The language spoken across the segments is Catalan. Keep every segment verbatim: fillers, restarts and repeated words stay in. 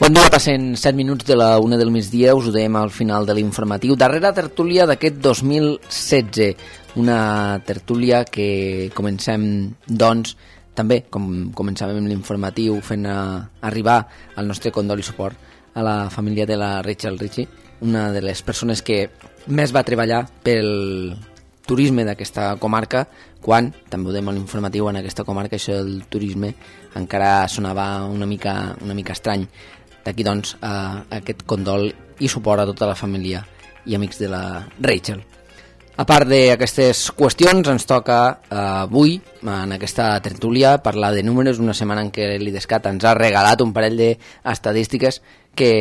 Bon dia, passen set minuts de la una del migdia, us ho dèiem al final de l'informatiu. Darrera tertúlia d'aquest dos mil setze, una tertúlia que comencem, doncs, també, com començàvem l'informatiu, fent a, arribar el nostre condol i suport a la família de la Rachel Ritchie, una de les persones que més va treballar pel turisme d'aquesta comarca, quan, també ho dèiem a l'informatiu, en aquesta comarca això del turisme encara sonava una mica, una mica estrany. D'aquí, doncs, eh, aquest condol i suport a tota la família i amics de la Rachel. A part d'aquestes qüestions, ens toca eh, avui, en aquesta tertúlia, parlar de números, una setmana en què l'IDESCAT ens ha regalat un parell d'estadístiques que,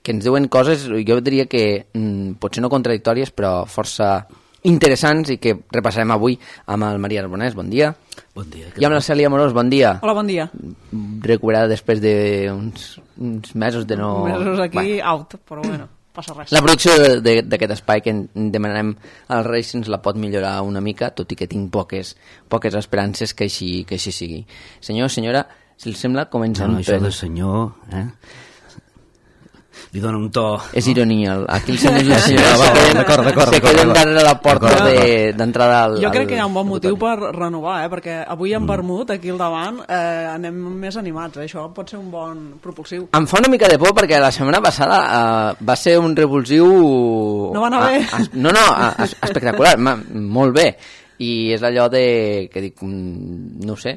que ens diuen coses, jo diria que mm, potser no contradictòries, però força interessants i que repassarem avui amb el Maria Arbonès. Bon dia. Bon dia. I amb la Cèlia Amorós. Bon dia. Hola, bon dia. Recuperada després d'uns uns mesos de no... Mesos aquí, bueno. out, però bueno, passa res. La producció d'aquest espai que demanem als Reis ens la pot millorar una mica, tot i que tinc poques, poques esperances que així, que així sigui. Senyor, senyora, si els sembla, comencem. No, no, això de senyor, eh? Li dona un to... És ironia. Aquí el senyor i la senyora sí, sí, d'acord, d'acord, se queden darrere la porta d'entrada al... Jo crec que hi ha un bon motiu per renovar, eh? Perquè avui en vermut, aquí al davant, eh, anem més animats. Eh? Això pot ser un bon propulsiu. Em fa una mica de por perquè la setmana passada uh, va ser un revulsiu... No va anar bé. A, a, no, no, a, a, espectacular, ma, molt bé. I és allò de... que dic, no ho sé,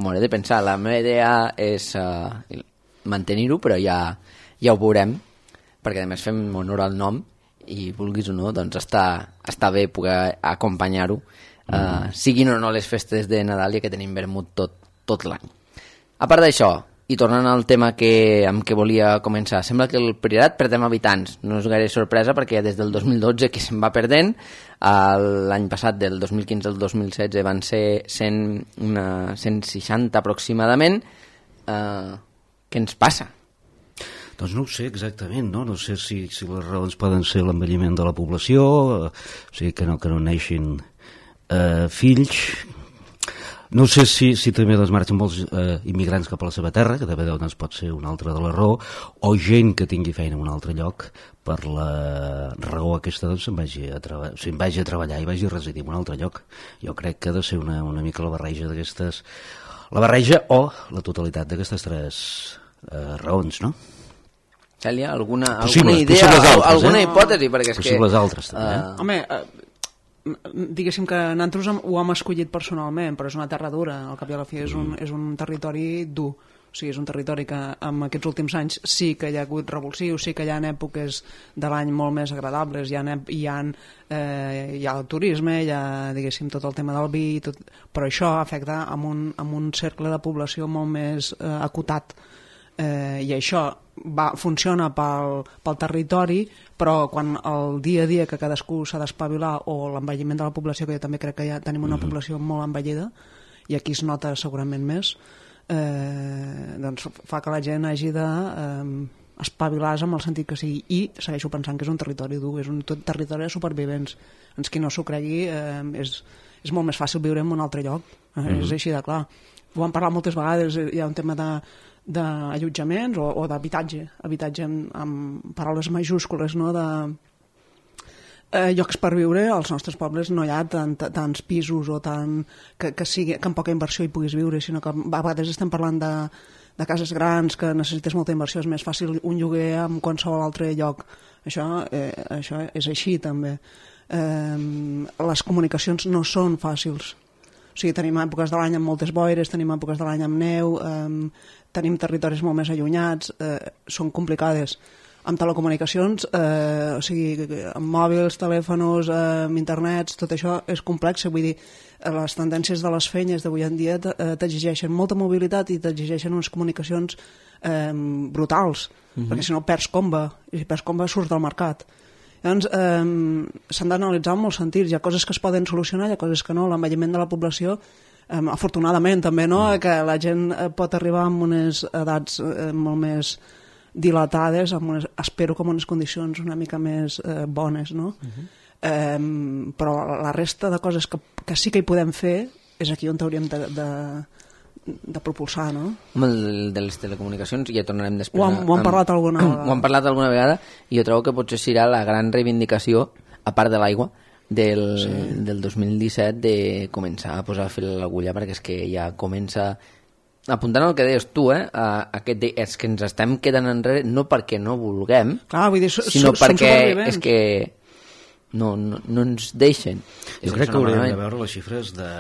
m'hauré de pensar. La meva idea és uh, mantenir-ho, però ja... ja ho veurem, perquè a més fem honor al nom i vulguis o no, doncs està, està bé poder acompanyar-ho, mm. uh, siguin o no les festes de Nadal, ja que tenim vermut tot, tot l'any. A part d'això, i tornant al tema que, amb què volia començar, sembla que el Priorat perdem habitants. No és gaire sorpresa perquè des del dos mil dotze que se'n va perdent, l'any passat del dos mil quinze al dos mil setze van ser cent, una, cent seixanta aproximadament. Uh, què ens passa? Doncs no ho sé exactament, no? No sé si, si les raons poden ser l'envelliment de la població, eh, o sigui, que no, que no neixin eh, fills. No sé si, si també doncs, marxen molts eh, immigrants cap a la seva terra, que també doncs, pot ser una altra de la raó, o gent que tingui feina en un altre lloc, per la raó aquesta doncs, se'n vagi, a treba- o sigui, vagi a treballar i vagi a residir en un altre lloc. Jo crec que ha de ser una, una mica la barreja d'aquestes... La barreja o la totalitat d'aquestes tres eh, raons, no? Cèlia, alguna, Possibles, alguna idea, altres, alguna eh? hipòtesi? Perquè és Possibles que, altres, també. Eh? Uh, Home, eh, diguéssim que nosaltres ho hem escollit personalment, però és una terra dura, al cap i a la fi és un, és un territori dur. O sigui, és un territori que en aquests últims anys sí que hi ha hagut revulsius, sí que hi ha èpoques de l'any molt més agradables, hi ha, hi ha, eh, hi ha el turisme, hi ha, diguéssim, tot el tema del vi, tot, però això afecta amb un, amb un cercle de població molt més eh, acotat. Eh, i això va, funciona pel, pel territori, però quan el dia a dia que cadascú s'ha d'espavilar, o l'envelliment de la població, que jo també crec que ja tenim una població molt envellida i aquí es nota segurament més, eh, doncs fa que la gent hagi de eh, espavilar-se en el sentit que sigui, i segueixo pensant que és un territori dur, és un territori de supervivents. Ens qui no s'ho cregui, eh, és, és molt més fàcil viure en un altre lloc, eh, mm-hmm. és així de clar. Ho hem parlat moltes vegades, hi ha un tema de d'allotjaments o, o d'habitatge, habitatge amb, amb paraules majúscules, no? De eh, llocs per viure. Als nostres pobles no hi ha tant, tants pisos o tant, que, que, sigui, que amb poca inversió hi puguis viure, sinó que a vegades estem parlant de, de cases grans que necessites molta inversió, és més fàcil un lloguer en qualsevol altre lloc. Això, eh, això és així també. Eh, les comunicacions no són fàcils. O sigui, tenim èpoques de l'any amb moltes boires, tenim èpoques de l'any amb neu, eh, tenim territoris molt més allunyats, eh, són complicades. Amb telecomunicacions, eh, o sigui, amb mòbils, telèfons, eh, amb internets, tot això és complex. Vull dir, les tendències de les feines d'avui en dia t'exigeixen molta mobilitat i t'exigeixen unes comunicacions eh, brutals, mm-hmm. perquè si no perds comba, i si perds comba surts del mercat. Llavors, eh, s'han d'analitzar en molts sentits. Hi ha coses que es poden solucionar, hi ha coses que no. L'envelliment de la població, eh, afortunadament també, no? Mm. que la gent pot arribar amb unes edats eh, molt més dilatades, amb unes, espero que en unes condicions una mica més eh, bones, no? Uh-huh. eh, però la resta de coses que, que sí que hi podem fer és aquí on hauríem de, de, de propulsar, no? Home, el de les telecomunicacions ja tornarem després. Ho han, ho han amb, parlat alguna vegada. Ho han parlat alguna vegada i jo trobo que potser serà la gran reivindicació, a part de l'aigua, del, sí. del dos mil disset de començar a posar fil a l'agulla, perquè és que ja comença... Apuntant al que deies tu, eh, a, a aquest de, és que ens estem quedant enrere no perquè no vulguem, Clar, vull dir, so, sinó som perquè supervivents. és que no, no, no ens deixen. Jo crec que hauríem de veure les xifres de,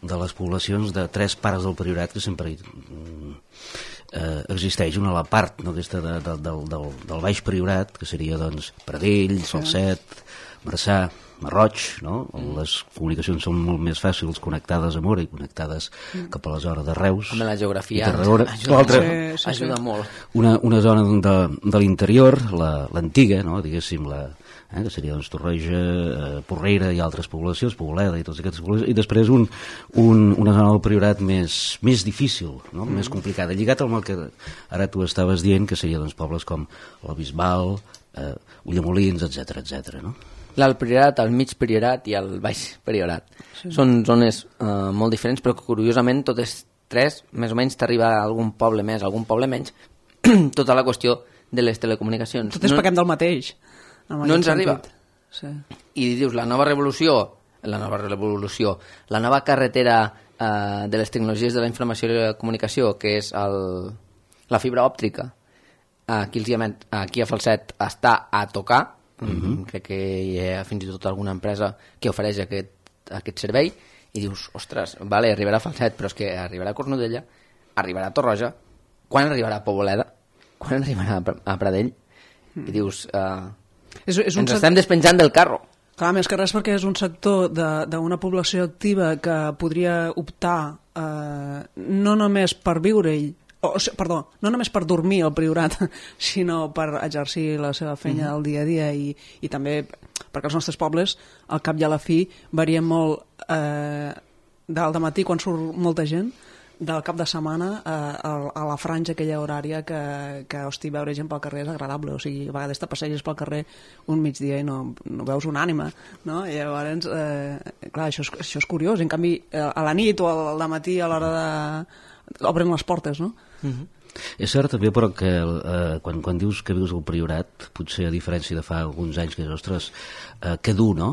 de les poblacions de tres parts del Priorat, que sempre eh, existeix una a la part, no, aquesta de, de, del, del, del Baix Priorat, que seria doncs Pradell, sí. Falset, Marçà, Marroig, no? Les comunicacions són molt més fàcils connectades a Mora i connectades mm. cap a la zona de Reus. Amb la geografia ajuda, sí, sí, ajuda sí. molt. Una, una zona de, de l'interior, l'antiga, la, no? Diguéssim, la, eh, que seria doncs, Torroja, eh, Porrera i altres poblacions, Pobleda i totes aquestes poblacions, i després un, un, una zona del Priorat més, més difícil, no? mm. més complicada, lligat amb el que ara tu estaves dient, que seria doncs, pobles com el Bisbal, eh, Ulldemolins, etcètera, etcètera, no? L'alt Priorat, el mig Priorat i el baix Priorat. Sí. Són zones eh, molt diferents, però que curiosament totes tres, més o menys, t'arriba a algun poble més, algun poble menys, tota la qüestió de les telecomunicacions. Totes no, paguem del mateix. No ens sentit. Arriba. Sí. I dius, la nova revolució, la nova revolució, la nova carretera eh, de les tecnologies de la informació i la comunicació, que és el, la fibra òptica, aquí, els, aquí a Falset està a tocar. Uh-huh. Crec que hi ha fins i tot alguna empresa que ofereix aquest, aquest servei i dius, ostres, vale, arribarà a Falset, però és que arribarà a Cornudella, arribarà a Torroja, quan arribarà a Poboleda, quan arribarà a Pradell, mm. i dius, uh, és, és ens estem despenjant del carro. Clar, més que res perquè és un sector d'una població activa que podria optar eh, no només per viure-hi, o, perdó, no només per dormir al Priorat, sinó per exercir la seva feina mm-hmm. del dia a dia i, i també perquè els nostres pobles, al cap i a la fi, varien molt eh, del matí quan surt molta gent, del cap de setmana eh, a, a la franja aquella horària que, que hosti, veure gent pel carrer és agradable, o sigui, a vegades te passeges pel carrer un migdia i no, no veus una ànima, no? I llavors, eh, clar, això és, això és curiós, en canvi, a la nit o al matí a l'hora de... obren les portes, no? Mm-hmm. És cert també, però, que eh, quan, quan dius que vius al Priorat, potser a diferència de fa alguns anys que, ostres, eh, que dur, no?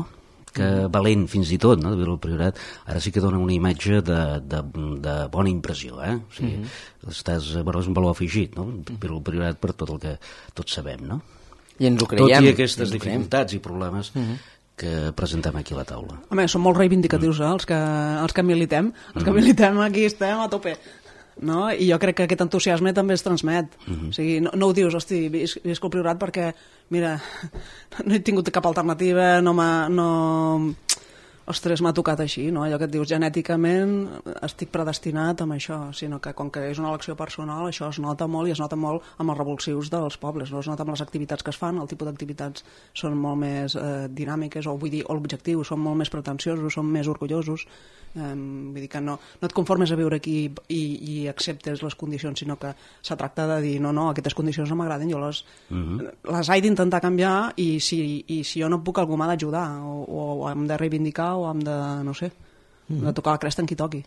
Que valent fins i tot, no?, de viure al Priorat, ara sí que dona una imatge de, de, de bona impressió, eh? O sigui, mm-hmm. estàs, bueno, és un valor afegit, no?, viure al Priorat per tot el que tots sabem, no? I ens ho creiem. Tot i aquestes dificultats i problemes mm-hmm. que presentem aquí a la taula. Home, són molt reivindicatius, mm. eh, els que, els que militem, els que mm. militem aquí estem a tope. No? I jo crec que aquest entusiasme també es transmet. Uh-huh. O sigui, no, no ho dius, hosti, visc, visc al Priorat perquè, mira, no he tingut cap alternativa, no m'ha... No... Ostres, m'ha tocat així, no? Allò que et dius, genèticament estic predestinat amb això, sinó que com que és una elecció personal, això es nota molt i es nota molt amb els revulsius dels pobles, no? Es nota amb les activitats que es fan, el tipus d'activitats són molt més eh, dinàmiques, o vull dir, o l'objectiu, són molt més pretensiosos, són més orgullosos, eh, vull dir que no, no et conformes a viure aquí i, i acceptes les condicions, sinó que se tracta de dir, no, no, aquestes condicions no m'agraden, jo les, uh-huh. les he d'intentar canviar i si, i si jo no puc, algú m'ha d'ajudar, o, o hem de reivindicar o hem de, no sé, mm. de tocar la cresta en qui toqui.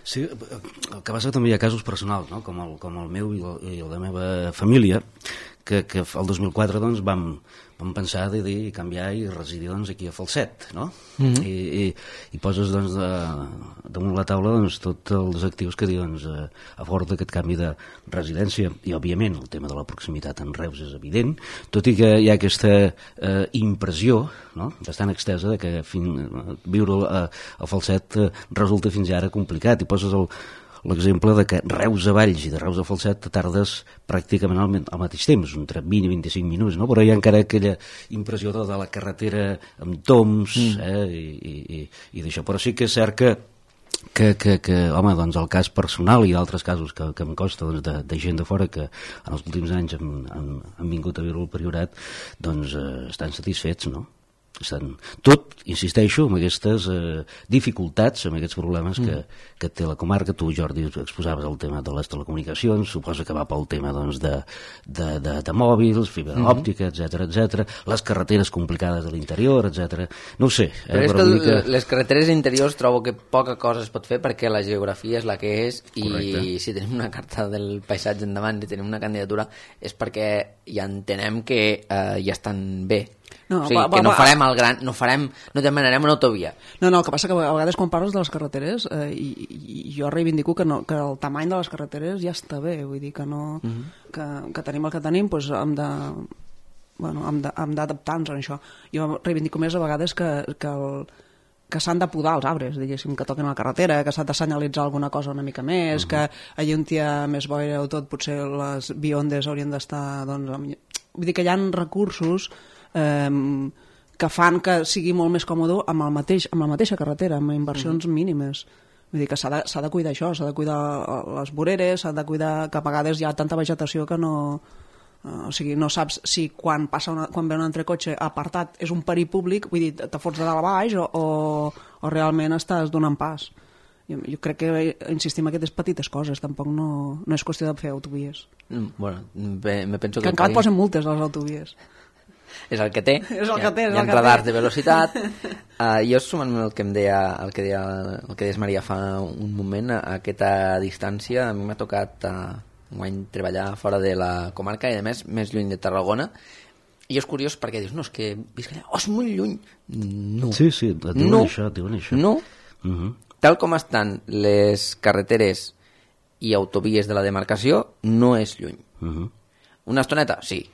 Sí, el que passa també hi ha casos personals, no?, com el, com el meu i, el, i el de la meva família, que, que el dos mil quatre doncs, vam, vam pensar de dir canviar i residir doncs, aquí a Falset, no? Mm-hmm. I, i, i poses doncs, de, damunt la taula doncs, tots els actius que diuen doncs, a favor d'aquest canvi de residència, i òbviament el tema de la proximitat en Reus és evident, tot i que hi ha aquesta eh, impressió, no?, bastant extesa de que fin, viure a, a Falset eh, resulta fins ara complicat, i poses el l'exemple de que Reus a Valls i de Reus a Falset tardes pràcticament al, al mateix temps, entre vint i vint-i-cinc minuts, no? Però hi ha encara aquella impressió de, de la carretera amb toms, mm. eh? I, i, i d'això. Però sí que és cert que que, que, que home, doncs el cas personal i altres casos que, que em costa doncs, de, de gent de fora que en els últims anys han, han, han vingut a viure al Priorat, doncs eh, estan satisfets, no? estan tot, insisteixo, amb aquestes eh, dificultats, amb aquests problemes que, mm. que té la comarca. Tu, Jordi, exposaves el tema de les telecomunicacions, suposo que va pel tema doncs, de, de, de, de mòbils, fibra mm -hmm. òptica, etcètera, etcètera, les carreteres complicades de l'interior, etcètera. No ho sé. Eh, però és però que mica... les carreteres interiors trobo que poca cosa es pot fer perquè la geografia és la que és i Correcte. si tenim una carta del paisatge endavant i tenim una candidatura és perquè ja entenem que eh, ja estan bé. No, o sigui, va, va, que no farem el gran, no farem, no demanarem una autovia. No, no, el que passa que a vegades quan parles de les carreteres eh, i, i jo reivindico que, no, que el tamany de les carreteres ja està bé, vull dir que no, uh -huh. que, que tenim el que tenim, doncs hem de bueno, hem de, hem d'adaptar-nos a això. Jo reivindico més a vegades que, que el que s'han de podar els arbres, diguéssim, que toquen a la carretera, que s'ha de senyalitzar alguna cosa una mica més, uh -huh. que allà on hi ha més boira o tot, potser les biondes haurien d'estar, doncs, amb... vull dir que hi ha recursos Eh, que fan que sigui molt més còmode amb, el mateix, amb la mateixa carretera, amb inversions mm. mínimes. Vull dir que s'ha de, s'ha de cuidar això, s'ha de cuidar les voreres, s'ha de cuidar que a vegades hi ha tanta vegetació que no... Uh, o sigui, no saps si quan passa una, quan ve un entrecotxe apartat és un perill públic, vull dir, te fots de dalt a baix o, o, o realment estàs donant pas. Jo, jo crec que insistim en aquestes petites coses, tampoc no, no és qüestió de fer autovies. Mm, bueno, me, me penso que... Que encara et posen multes a les autovies. És el que té, és el que té, és hi ha el que radars té. de velocitat. Uh, jo sumant el que em deia, el que deia, el que deies Maria fa un moment, a aquesta distància, a mi m'ha tocat uh, un any treballar fora de la comarca i a més més lluny de Tarragona, i és curiós perquè dius, no, és que visc allà, oh, és molt lluny. No. Sí, sí, et diuen no. això, et diuen això. No. Uh -huh. Tal com estan les carreteres i autovies de la demarcació, no és lluny. Uh -huh. Una estoneta? Sí.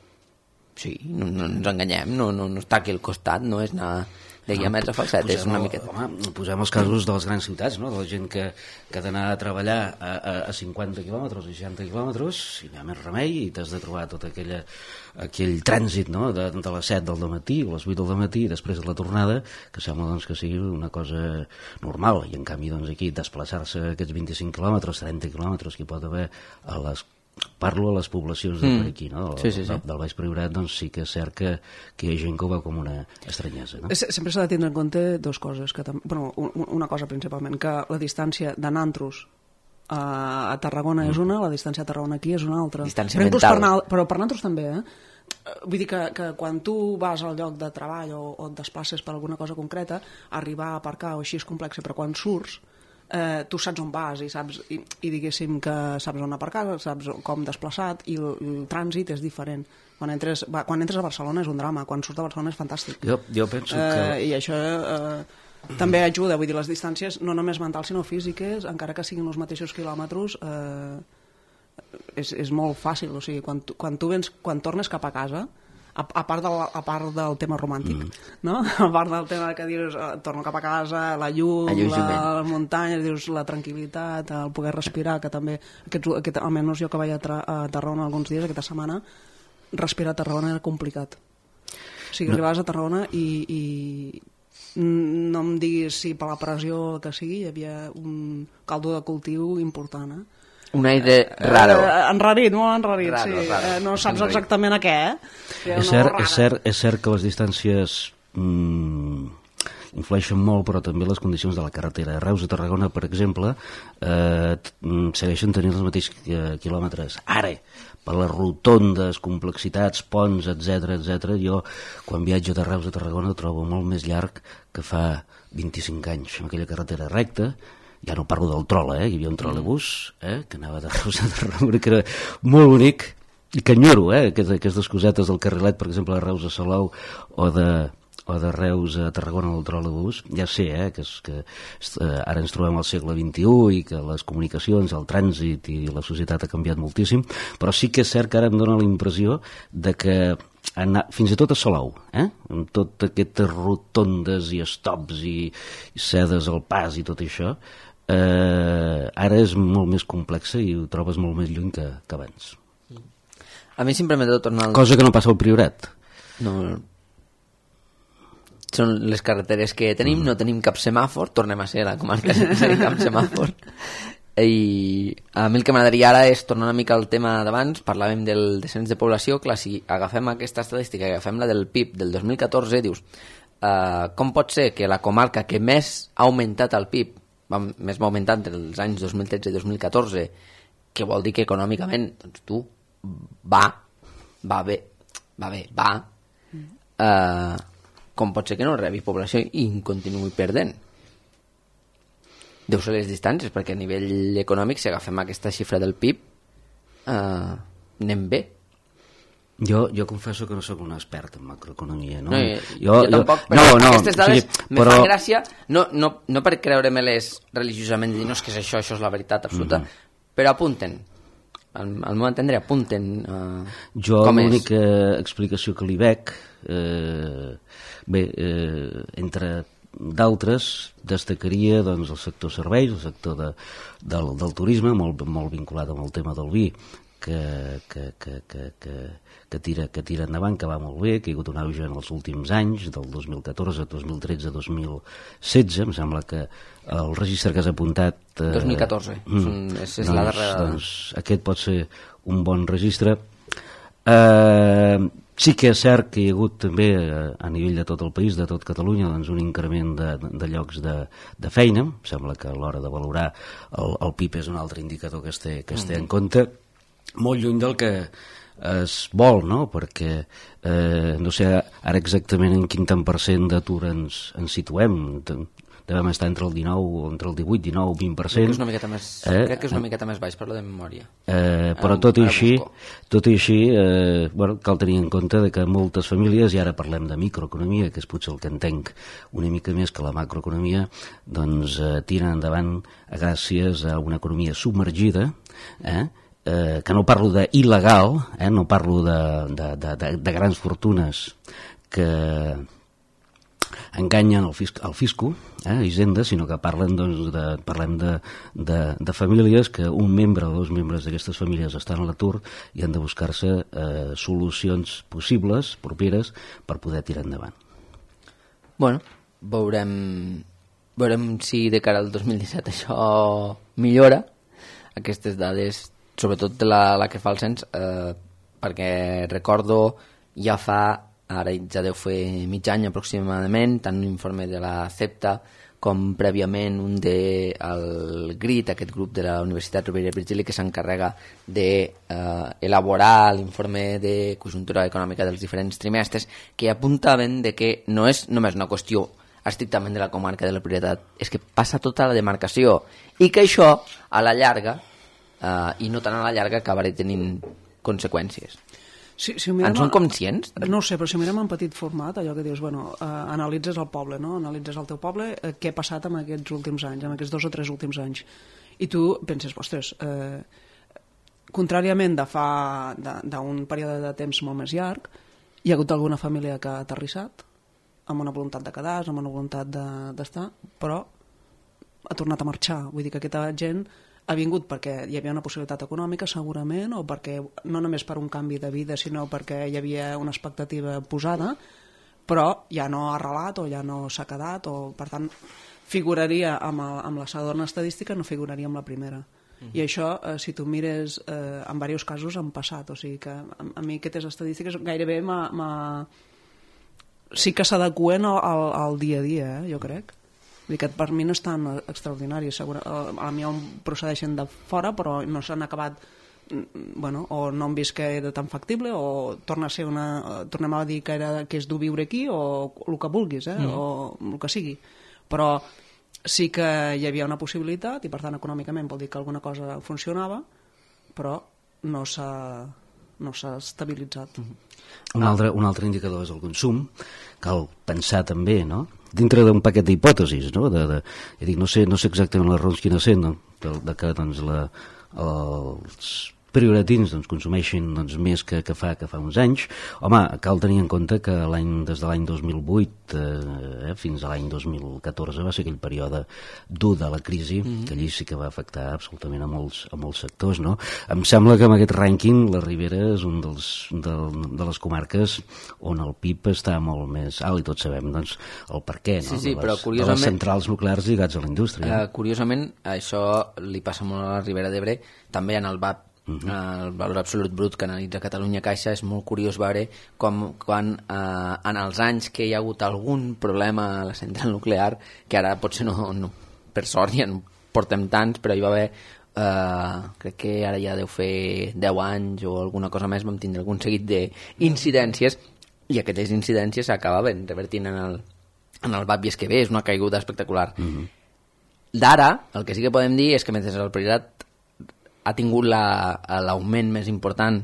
Sí, no, no ens enganyem, no, no, no està aquí al costat, no és anar de guiamets a falset, és una miqueta. Home, posem els casos de les grans ciutats, no? De la gent que, que ha d'anar a treballar a, a, a cinquanta quilòmetres o seixanta quilòmetres, i no hi ha més remei, i t'has de trobar tot aquella, aquell trànsit, no? de, de les set del matí o les vuit del matí, i després de la tornada, que sembla doncs, que sigui una cosa normal, i en canvi doncs, aquí desplaçar-se aquests vint-i-cinc quilòmetres, trenta quilòmetres que hi pot haver a les... Parlo a les poblacions de mm. per aquí, no? Sí, sí, sí. Del, del Baix Priorat, doncs sí que és cert que, que hi ha gent que ho veu com una estranyesa, no? Sempre s'ha de tindre en compte dues coses, que tam... bueno, una cosa principalment, que la distància de Nantros a, a Tarragona mm. és una, la distància a Tarragona aquí és una altra. Distància però mental. Per anar, però per Nantros també, eh? Vull dir que, que quan tu vas al lloc de treball o, o et desplaces per alguna cosa concreta, arribar a aparcar o així és complex, però quan surts Eh, tu saps on vas i, saps, i, i diguéssim que saps on aparcar, saps com desplaçat i el, el trànsit és diferent. Quan entres, va, quan entres a Barcelona és un drama, quan surts de Barcelona és fantàstic. Jo, jo penso eh, que... I això eh, també ajuda, vull dir, les distàncies no només mentals sinó físiques, encara que siguin els mateixos quilòmetres, eh, és, és molt fàcil, o sigui, quan tu, quan tu vens, quan tornes cap a casa, a, a, part del, a part del tema romàntic, mm. no? A part del tema que dius, eh, torno cap a casa, la llum, la, les muntanyes, dius, la tranquil·litat, el poder respirar, que també, aquests, aquest, almenys jo que vaig a, tra, a Tarragona alguns dies, aquesta setmana, respirar a Tarragona era complicat. O sigui, no. Arribaves a Tarragona i, i no em diguis si per la pressió que sigui hi havia un caldo de cultiu important, eh? Un aire raro. Eh, enrarit, molt enrarit, raro, sí. Raro. Eh, no saps exactament a què, eh? És cert, és, cert, és cert que les distàncies mm, influeixen molt, però també les condicions de la carretera. Reus a Tarragona, per exemple, eh, segueixen tenint els mateixos quilòmetres. Ara, per les rotondes, complexitats, ponts, etcètera, etcètera, jo, quan viatjo de Reus a Tarragona, ho trobo molt més llarg que fa vint-i-cinc anys, amb aquella carretera recta. Ja no parlo del trola, eh? Hi havia un trolebús eh? que anava de Reus a Tarragona, que era molt bonic, i que enyoro, eh? Aquestes cosetes del carrilet, per exemple, de Reus a Salou, o de, o de Reus a Tarragona del trolebús. Ja sé eh? que, és, que eh, ara ens trobem al segle vint-i-u i que les comunicacions, el trànsit i la societat ha canviat moltíssim, però sí que és cert que ara em dóna la impressió de que anar, fins i tot a Salou, eh? Amb totes aquestes rotondes i stops i, i cedes al pas i tot això, eh, ara és molt més complexa i ho trobes molt més lluny que, que abans. A mi sempre m'he de tornar... Al... Cosa que no passa al Priorat. No, són les carreteres que tenim, mm. no tenim cap semàfor, tornem a ser la comarca sense cap semàfor. I a mi el que m'agradaria ara és tornar una mica al tema d'abans. Parlàvem del descens de població. Clar, si agafem aquesta estadística, agafem la del P I B del dos mil catorze, dius uh, com pot ser que la comarca que més ha augmentat el P I B, va, més va augmentar entre els anys dos mil tretze i dos mil catorze, que vol dir que econòmicament, doncs tu, va, va bé, va bé, va, uh, com pot ser que no rebi població i continuï perdent? Deu ser les distàncies, perquè a nivell econòmic, si agafem aquesta xifra del P I B, uh, anem bé. Jo, jo confesso que no sóc un expert en macroeconomia, no? No, jo, jo, jo tampoc, però no, no, aquestes dades o sigui, me però... fan gràcia, no, no, no per creure-me-les religiosament i dir, no, és que és això, això és la veritat absoluta, mm-hmm. però apunten, al, al meu entendre, apunten uh, jo com és. L'única explicació que li veig, eh, bé, eh, entre d'altres, destacaria doncs, el sector serveis, el sector de, del, del turisme, molt, molt vinculat amb el tema del vi, que, que, que, que, que, que, tira, que tira endavant, que va molt bé, que hi ha hagut un auge en els últims anys, del dos mil catorze, dos mil tretze, dos mil setze, em sembla que el registre que has apuntat... Eh, dos mil catorze, mm, és, és doncs, la darrera... Doncs aquest pot ser un bon registre. Eh... Sí que és cert que hi ha hagut també a nivell de tot el país, de tot Catalunya, doncs un increment de, de llocs de, de feina. Em sembla que a l'hora de valorar el, el P I B és un altre indicador que es té, que es té en compte. Molt lluny del que es vol, no? Perquè eh, no sé ara exactament en quin tant per cent d'atur ens, ens situem. Devem estar entre el dinou, entre el divuit, dinou, vint per cent. Crec que és una miqueta més, eh? crec que és una miqueta més baix, parlo de memòria. Eh, però tot i així, tot i així eh, bueno, cal tenir en compte de que moltes famílies, i ara parlem de microeconomia, que és potser el que entenc una mica més que la macroeconomia, doncs eh, tiren endavant gràcies a una economia submergida, eh? Eh, que no parlo d'il·legal, eh? No parlo de, de, de, de, de grans fortunes que enganyen el, fisc, el fisco, eh, Hisenda, sinó que parlen, doncs, de, parlem de, de, de famílies que un membre o dos membres d'aquestes famílies estan a l'atur i han de buscar-se eh, solucions possibles, properes, per poder tirar endavant. Bueno, veurem, veurem si de cara al dos mil disset això millora, aquestes dades, sobretot la, la que fa el cens, eh, perquè recordo ja fa... ara ja deu fer mig any aproximadament, tant un informe de la CEPTA com prèviament un del de GRIT, aquest grup de la Universitat Rovira i Virgili que s'encarrega d'elaborar eh, l'informe de conjuntura econòmica dels diferents trimestres, que apuntaven de que no és només una qüestió estrictament de la comarca de la Prioritat, és que passa tota la demarcació i que això a la llarga, eh, i no tant a la llarga, acabarà tenint conseqüències. Si, si mirem, en són conscients? No ho sé, però si mirem en petit format, allò que dius, bueno, eh, analitzes el poble, no? Analitzes el teu poble, eh, què ha passat en aquests últims anys, en aquests dos o tres últims anys. I tu penses, ostres, eh, contràriament de fa d'un període de temps molt més llarg, hi ha hagut alguna família que ha aterrissat, amb una voluntat de quedar-se, amb una voluntat d'estar, de, però ha tornat a marxar. Vull dir que aquesta gent ha vingut perquè hi havia una possibilitat econòmica, segurament, o perquè no només per un canvi de vida, sinó perquè hi havia una expectativa posada, però ja no ha arrelat o ja no s'ha quedat, o per tant figuraria amb, el, amb la segona estadística, no figuraria amb la primera. Mm-hmm. I això, eh, si tu mires, eh, en diversos casos han passat, o sigui que a, a mi aquestes estadístiques gairebé m'ha... sí que s'adeqüen al, al, al dia a dia, eh, jo crec. Vull dir que per mi no és tan extraordinari, segur, a mi em procedeixen de fora, però no s'han acabat, bueno, o no han vist que era tan factible, o torna a ser una, tornem a dir que, era, que és dur viure aquí, o el que vulguis, eh? Mm. O el que sigui. Però sí que hi havia una possibilitat, i per tant econòmicament vol dir que alguna cosa funcionava, però no s'ha no s'ha estabilitzat. Mm-hmm. Un altre, un altre indicador és el consum. Cal pensar també, no?, dintre d'un paquet d'hipòtesis, no? De, de, ja dic, no sé, no sé exactament les raons quines són, no? de, de que doncs, la, els prioratins doncs, consumeixin doncs, més que, que, fa, que fa uns anys. Home, cal tenir en compte que l'any, des de l'any dos mil vuit eh, fins a l'any dos mil catorze va ser aquell període dur de la crisi, mm-hmm. que allí sí que va afectar absolutament a molts, a molts sectors, no? Em sembla que amb aquest rànquing la Ribera és un dels, de, de les comarques on el P I B està molt més alt, i tots sabem doncs, el per què, no? Sí, sí, de, les, però curiosament, de les centrals nuclears lligats a la indústria. Eh, curiosament, això li passa molt a la Ribera d'Ebre, també en el V A P Uh-huh. El valor absolut brut que analitza Catalunya Caixa, és molt curiós veure com quan eh, en els anys que hi ha hagut algun problema a la central nuclear, que ara potser no, no per sort ja no portem tants, però hi va haver eh, crec que ara ja deu fer deu anys o alguna cosa més, vam tindre algun seguit d'incidències i aquestes incidències s'acabaven revertint en el, en el Bàbia que ve, és una caiguda espectacular. Uh-huh. D'ara, el que sí que podem dir és que mentre el Priorat ha tingut l'augment més important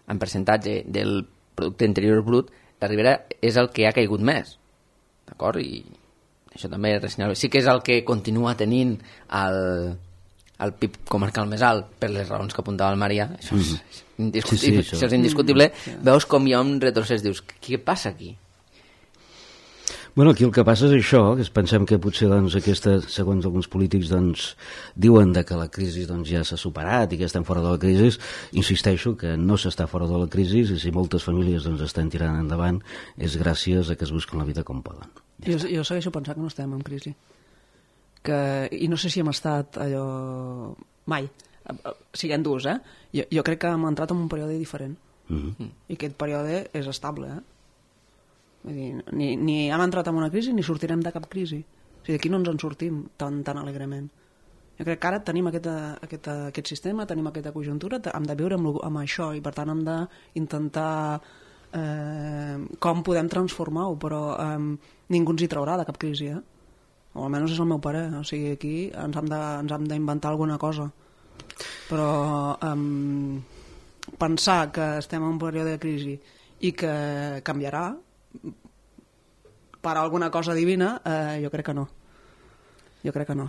en percentatge del producte interior brut, la Ribera és el que ha caigut més, d'acord? I això també és ressenyable. Sí que és el que continua tenint el, el P I B comarcal més alt per les raons que apuntava el Maria, això és, mm. indiscutible, sí, sí, això. Això és indiscutible. Mm. Veus com hi ha un retrocés, dius, què passa aquí? Bueno, aquí el que passa és això, que pensem que potser doncs, aquesta, segons alguns polítics doncs, diuen de que la crisi doncs, ja s'ha superat i que estem fora de la crisi. Insisteixo que no s'està fora de la crisi i si moltes famílies doncs, estan tirant endavant és gràcies a que es busquen la vida com poden. Ja jo, jo segueixo pensant que no estem en crisi. Que, I no sé si hem estat allò mai. Siguem durs, eh? Jo, jo crec que hem entrat en un període diferent. Mm-hmm. I aquest període és estable, eh? Vull dir, ni, ni hem entrat en una crisi ni sortirem de cap crisi. O sigui, d'aquí no ens en sortim tan, tan alegrement. Jo crec que ara tenim aquest, aquest, aquest sistema, tenim aquesta conjuntura, hem de viure amb, amb això i per tant hem d'intentar eh, com podem transformar-ho, però eh, ningú ens hi traurà de cap crisi, eh? O almenys és el meu parer. O sigui, aquí ens hem de, ens hem d'inventar alguna cosa. Però eh, pensar que estem en un període de crisi i que canviarà per alguna cosa divina, eh, jo crec que no. Jo crec que no.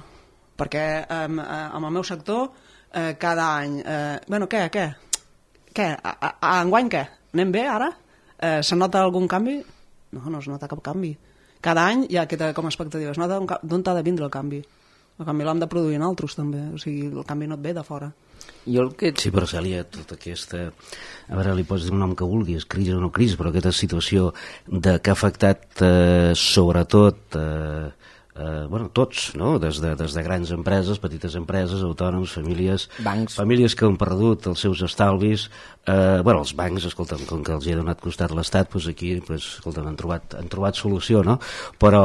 Perquè eh, amb el meu sector eh, cada any... Eh, bueno, què? Què? Què? A, a, a enguany què? Anem bé ara? Eh, se nota algun canvi? No, no es nota cap canvi. Cada any hi ha aquesta com a expectativa. Es nota d'on ha de vindre el canvi. El canvi l'hem de produir en altres també. O sigui, el canvi no et ve de fora. Jo el que... Sí, però Cèlia, tota aquesta... A veure, li pots dir un nom que vulguis, crisi o no crisi, però aquesta situació de que ha afectat eh, sobretot eh, eh, bueno, tots, no? Des de, des de grans empreses, petites empreses, autònoms, famílies, bancs. Famílies que han perdut els seus estalvis, eh, bueno, els bancs, escolta'm, com que els hi ha donat costat l'Estat, doncs aquí, doncs, escolta'm, han trobat, han trobat solució, no? Però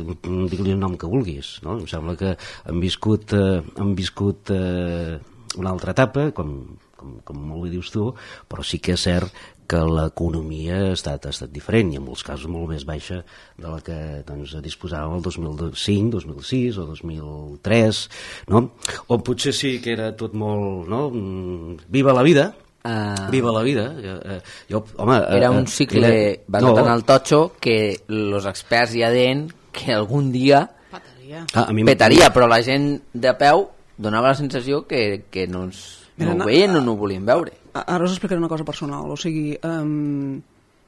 digue-li el nom que vulguis, no? Em sembla que han viscut, eh, han viscut eh, una altra etapa, com, com, com molt bé dius tu, però sí que és cert que l'economia ha estat, ha estat diferent i en molts casos molt més baixa de la que doncs, disposàvem el dos mil cinc, dos mil sis o dos mil tres, no? O potser sí que era tot molt, no? Viva la vida, uh... viva la vida. Jo, home, era un cicle era... basat no. en el totxo que els experts ja deien que algun dia petaria, ah, a mi petaria però la gent de peu donava la sensació que, que no, ens, no ho veien o no ho volien veure. Ara us explicaré una cosa personal. O sigui, um,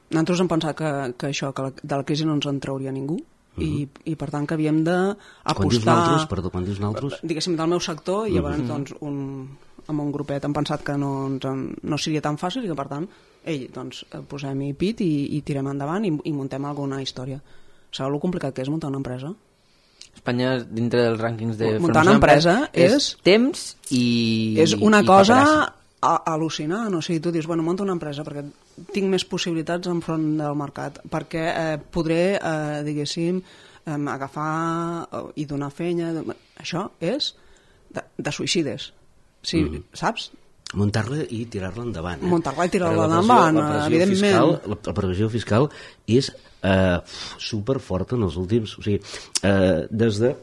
nosaltres hem pensat que, que això, que la, de la crisi no ens en trauria ningú, uh-huh. i, i per tant que havíem d'apostar... Quan dius naltros, perdó, quan dius naltros? Diguéssim, del meu sector, i llavors uh-huh. doncs, un, amb un grupet hem pensat que no, ens en, no seria tan fàcil i que per tant, ei, doncs, posem-hi pit i, i tirem endavant i, i muntem alguna història. Sabeu el complicat que és muntar una empresa? Espanya, dintre dels rànquings de... Muntar una empresa és... és temps i... És una i cosa a, al·lucinant. O sigui, tu dius, bueno, monta una empresa perquè tinc més possibilitats enfront del mercat, perquè eh, podré, eh, diguéssim, eh, agafar eh, i donar fenya... Això és de, de suïcides. Sí, mm. Saps? Muntar-la i tirar-la endavant. Eh? Muntar-la i tirar-la endavant, evidentment. Fiscal, la, la pressió fiscal és eh, superforta en els últims... O sigui, eh, des de...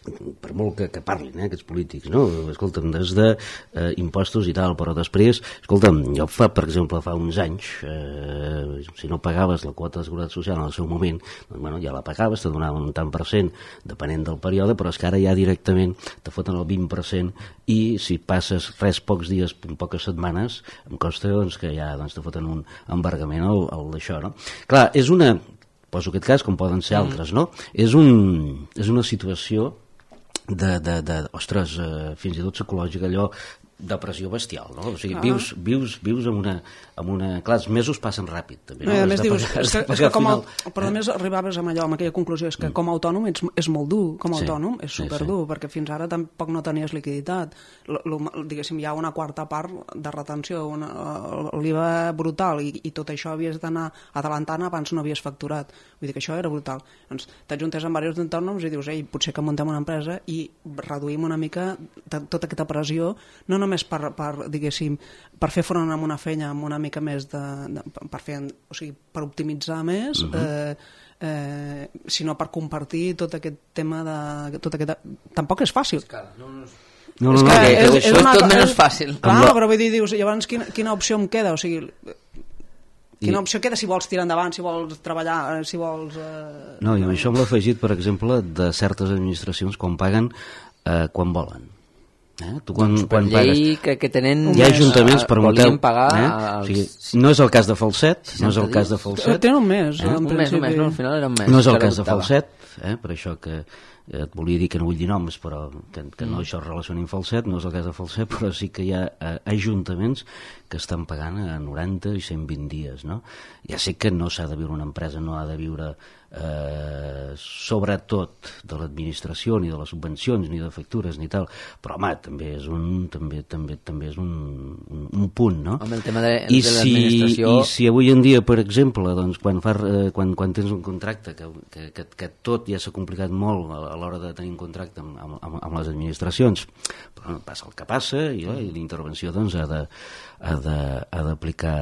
per molt que, que parlin, eh, aquests polítics, no? Escolta'm, des de eh, impostos i tal, però després, escolta'm, jo fa, per exemple, fa uns anys, eh, si no pagaves la quota de seguretat social en el seu moment, doncs, bueno, ja la pagaves, te donaven un tant per cent, depenent del període, però és que ara ja directament te foten el vint per cent i si passes res pocs dies, poques setmanes, em costa doncs, que ja doncs, te foten un embargament al, al d'això, no? Clar, és una, poso aquest cas, com poden ser altres, no? És, un, és una situació de, de, de ostres, eh, fins i tot psicològica, allò depressió bestial, no? O sigui, vius, vius, vius amb una, amb una... Clar, els mesos passen ràpid, també, no? No, a més dius, és que, és que com a, final... però a més arribaves amb allò, amb aquella conclusió, és que com a autònom ets, és molt dur, com a Sí, autònom és sí, superdur, sí. perquè fins ara tampoc no tenies liquiditat. L, l, diguéssim, hi ha una quarta part de retenció, una, l'I V A brutal, i, i tot això havies d'anar adelantant abans no havies facturat. Vull dir que això era brutal. Doncs t'ajuntes amb diversos autònoms i dius, ei, potser que muntem una empresa i reduïm una mica tota aquesta pressió, no només per, per diguéssim, per fer front a una feina amb una mica més de, de per fer, o sigui, per optimitzar més, uh-huh. eh, eh, sinó per compartir tot aquest tema de... Tot aquest, tampoc és fàcil. No, no, no, no, és no, que que, és, que és, és tot menys fàcil. Clar, la... però vull dir, dius, llavors quina, quina opció em queda? O sigui, quina opció queda si vols tirar endavant, si vols treballar, si vols... Eh... No, i amb això m'ho he afegit, per exemple, de certes administracions quan paguen eh, quan volen. Eh? Tu quan, doncs quan llei pagues... que, que tenen... Hi ha ajuntaments per volien pagar... Eh? Els... O sigui, no és el cas de Falset, no és el cas de Falset. Tenen un mes, eh? en un mes, un mes, no, al final era un mes. No és el cas de Falset, eh? Per això que et volia dir que no vull dir noms, però que, que no això es relacioni amb Falset, no és el cas de Falset, però sí que hi ha eh, ajuntaments que estan pagant a noranta i cent vint dies, no? Ja sé que no s'ha de viure una empresa, no ha de viure eh, sobretot de l'administració, ni de les subvencions, ni de factures, ni tal, però home, també és un, també, també, també és un, un, un punt, no? Amb el tema de, I de si, l'administració... I si avui en dia, per exemple, doncs, quan, fa, eh, quan, quan tens un contracte, que, que, que, que tot ja s'ha complicat molt a, a l'hora de tenir un contracte amb, amb, amb, amb les administracions, però passa el que passa i, eh, i l'intervenció doncs, ha de ha d'aplicar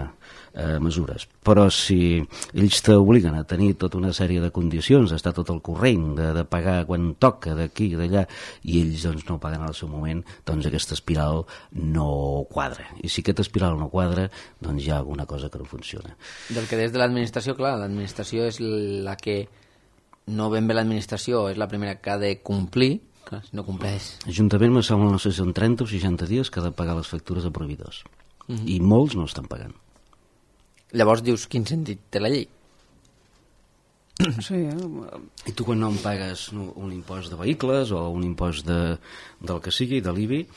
eh, mesures. Però si ells t'obliguen a tenir tota una sèrie de condicions, a estar tot al corrent, de, de pagar quan toca, d'aquí i d'allà, i ells doncs, no paguen al seu moment, doncs aquesta espiral no quadra. I si aquesta espiral no quadra, doncs hi ha alguna cosa que no funciona. Del que des de l'administració, clar, l'administració és la que no ben bé l'administració, és la primera que ha de complir, clar, si no compleix. Ajuntament me sembla, no sé si són trenta o seixanta dies que ha de pagar les factures a proveïdors. Uh-huh. I molts no estan pagant. Llavors dius, quin sentit té la llei? Sí, eh? I tu quan no em pagues un impost de vehicles o un impost de, del que sigui, de l'I B I,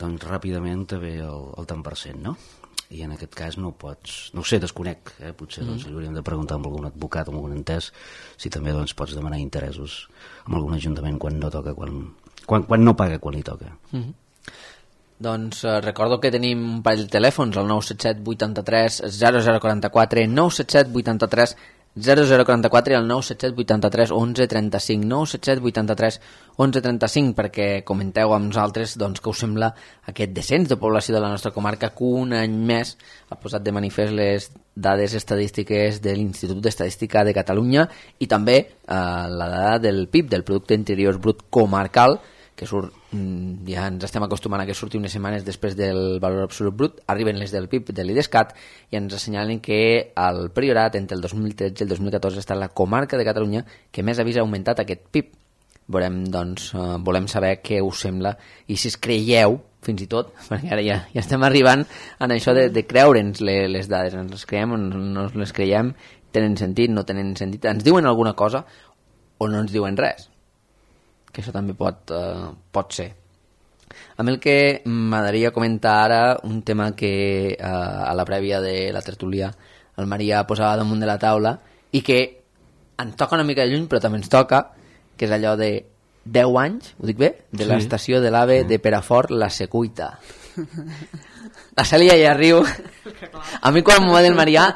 doncs ràpidament te ve el, el tant per cent, no? I en aquest cas no pots, no ho sé, desconec, eh? Potser mm. doncs, li hauríem de preguntar amb algun advocat o amb algun entès si també doncs, pots demanar interessos amb algun ajuntament quan no toca, quan, quan, quan no paga quan li toca. Mm-hmm. Doncs eh, recordo que tenim un parell de telèfons, el nou set set vuitanta-tres zero zero quaranta-quatre, nou set set vuitanta-tres zero zero quaranta-quatre i el nou set set vuitanta-tres onze trenta-cinc, nou set set vuitanta-tres onze trenta-cinc, perquè comenteu amb nosaltres doncs, que us sembla aquest descens de població de la nostra comarca que un any més ha posat de manifest les dades estadístiques de l'Institut d'Estadística de Catalunya i també eh, la dada del P I B, del Producte Interior Brut Comarcal, que surt, ja ens estem acostumant a que surti unes setmanes després del valor absolut brut, arriben les del P I B de l'IDESCAT i ens assenyalen que el Priorat entre el dos mil tretze i el dos mil catorze està la comarca de Catalunya que més avís ha augmentat aquest P I B. Volem, doncs, eh, volem saber què us sembla i si es creieu, fins i tot, perquè ara ja, ja estem arribant en això de, de creure'ns les, les dades, ens les creiem o no les creiem, tenen sentit, no tenen sentit, ens diuen alguna cosa o no ens diuen res, que això també pot, uh, pot ser. A mi el que m'agradaria comentar ara un tema que uh, a la prèvia de la tertúlia el Maria posava damunt de la taula i que ens toca una mica de lluny però també ens toca, que és allò de deu anys, ho dic bé? De sí. L'estació de l'AVE sí. de Perafort, la Secuita. La Cèlia ja riu. A mi quan m'ho va dir el Maria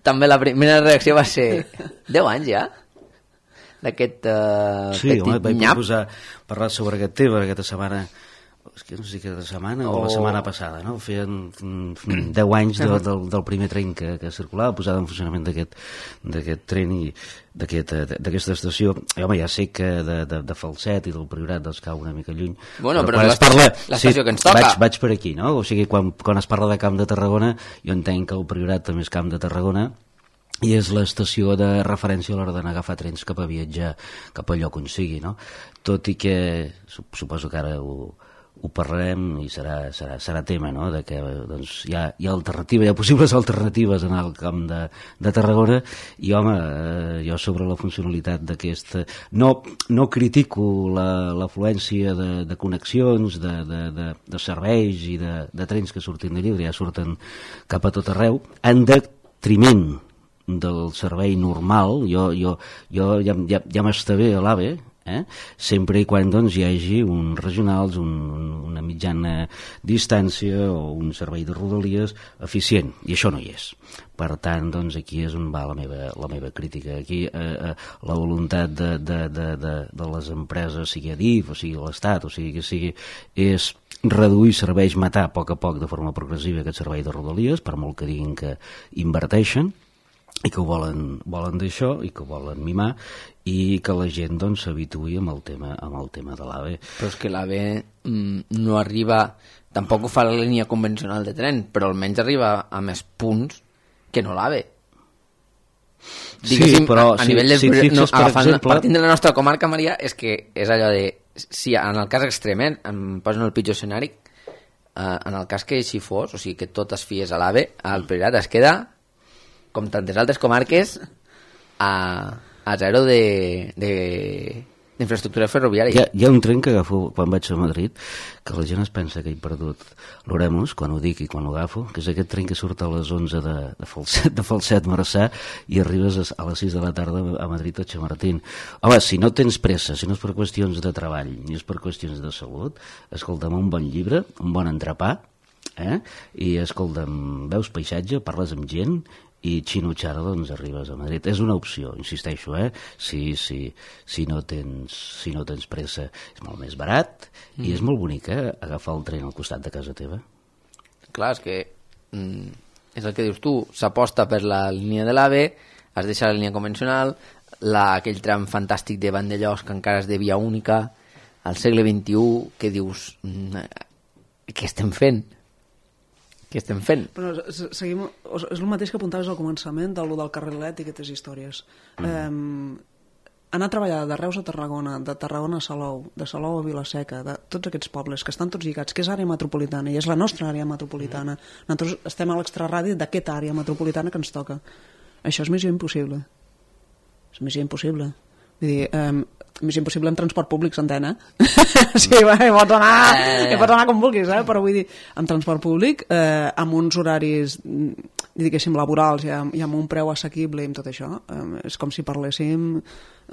també la primera reacció va ser deu anys ja? D'aquest uh, sí, petit home, vaig nyap. proposar parlar sobre aquest tema aquesta setmana, és que no sé si aquesta setmana o, o la setmana passada, no? Feien deu anys de, del, del primer tren que, que circulava, posada en funcionament d'aquest d'aquest tren i d'aquesta aquest, estació. I, home, ja sé que de, de, de Falset i del Priorat doncs cau una mica lluny. Bueno, però, però l'estació sí, que ens toca. Vaig, vaig per aquí, no? O sigui, quan, quan es parla de Camp de Tarragona, jo entenc que el Priorat també és Camp de Tarragona, i és l'estació de referència a l'hora d'anar a agafar trens cap a viatjar cap al lloc on sigui, no? Tot i que suposo que ara ho, ho parlarem i serà, serà, serà tema, no?, de que doncs, hi, ha, hi ha alternativa, hi ha possibles alternatives en el camp de, de Tarragona, i home, eh, jo sobre la funcionalitat d'aquesta... No, no critico l'afluència de, de connexions, de, de, de, de serveis i de, de trens que surtin de Llibre, ja surten cap a tot arreu, en detriment del servei normal. Jo, jo, jo ja, ja, ja m'està bé a l'AVE, eh? sempre i quan doncs, hi hagi uns regionals, un, una mitjana distància o un servei de rodalies eficient, i això no hi és. Per tant, doncs, aquí és on va la meva, la meva crítica. Aquí eh, eh, la voluntat de, de, de, de, de les empreses, sigui Adif o sigui l'Estat, o sigui que sigui, és reduir serveis, matar a poc a poc de forma progressiva aquest servei de rodalies, per molt que diguin que inverteixen i que ho volen, volen d'això i que ho volen mimar, i que la gent doncs s'habituï amb el tema amb el tema de l'AVE. Però és que l'AVE mm, no arriba, tampoc ho fa la línia convencional de tren, però almenys arriba a més punts que no l'AVE. Sí, però a, a nivell si, del, si fixes, no, per agafant, exemple... partint de la nostra comarca, Maria, és que és allò de, si en el cas extrem, eh, em posen el pitjor escenari, eh, en el cas que així fos, o sigui que tot es fies a l'AVE, el Priorat es queda, com tantes altres comarques, a, a zero de, de, d'infraestructura ferroviària. Hi ha, hi ha un tren que agafo quan vaig a Madrid, que la gent es pensa que he perdut l'Oremus, quan ho dic i quan ho agafo, que és aquest tren que surt a les onze de, de, Falset, de Falset, Marçà, i arribes a, a les sis de la tarda a Madrid a Chamartín. Home, si no tens pressa, si no és per qüestions de treball, ni és per qüestions de salut, escolta'm, un bon llibre, un bon entrepà, eh? i escolta'm, veus paisatge, parles amb gent, i xinutxara, doncs arribes a Madrid. És una opció, insisteixo, eh? Si, si, si, no tens, si no tens pressa. És molt més barat mm. i és molt bonic, eh? Agafar el tren al costat de casa teva. Clar, és que mm, és el que dius tu, s'aposta per la línia de l'AVE, es deixa la línia convencional, la, aquell tram fantàstic de Vandellós que encara és de via única, al segle vint-i-u, que dius, mm, què estem fent? Què estem fent? Però seguim, és el mateix que apuntaves al començament del, del carrilet i aquestes històries. Mm. Um, anar a treballar de Reus a Tarragona, de Tarragona a Salou, de Salou a Vilaseca, de tots aquests pobles que estan tots lligats, que és àrea metropolitana i és la nostra àrea metropolitana. Mm. Nosaltres estem a l'extraradi d'aquesta àrea metropolitana que ens toca. Això és missió impossible. És missió impossible. Vull dir, um, missió impossible en transport públic, s'entén, eh? Sí, va, pots anar, eh. pots anar com vulguis, eh? Però vull dir, en transport públic, eh, amb uns horaris, diguéssim, laborals i amb, i amb un preu assequible i amb tot això, eh, és com si parléssim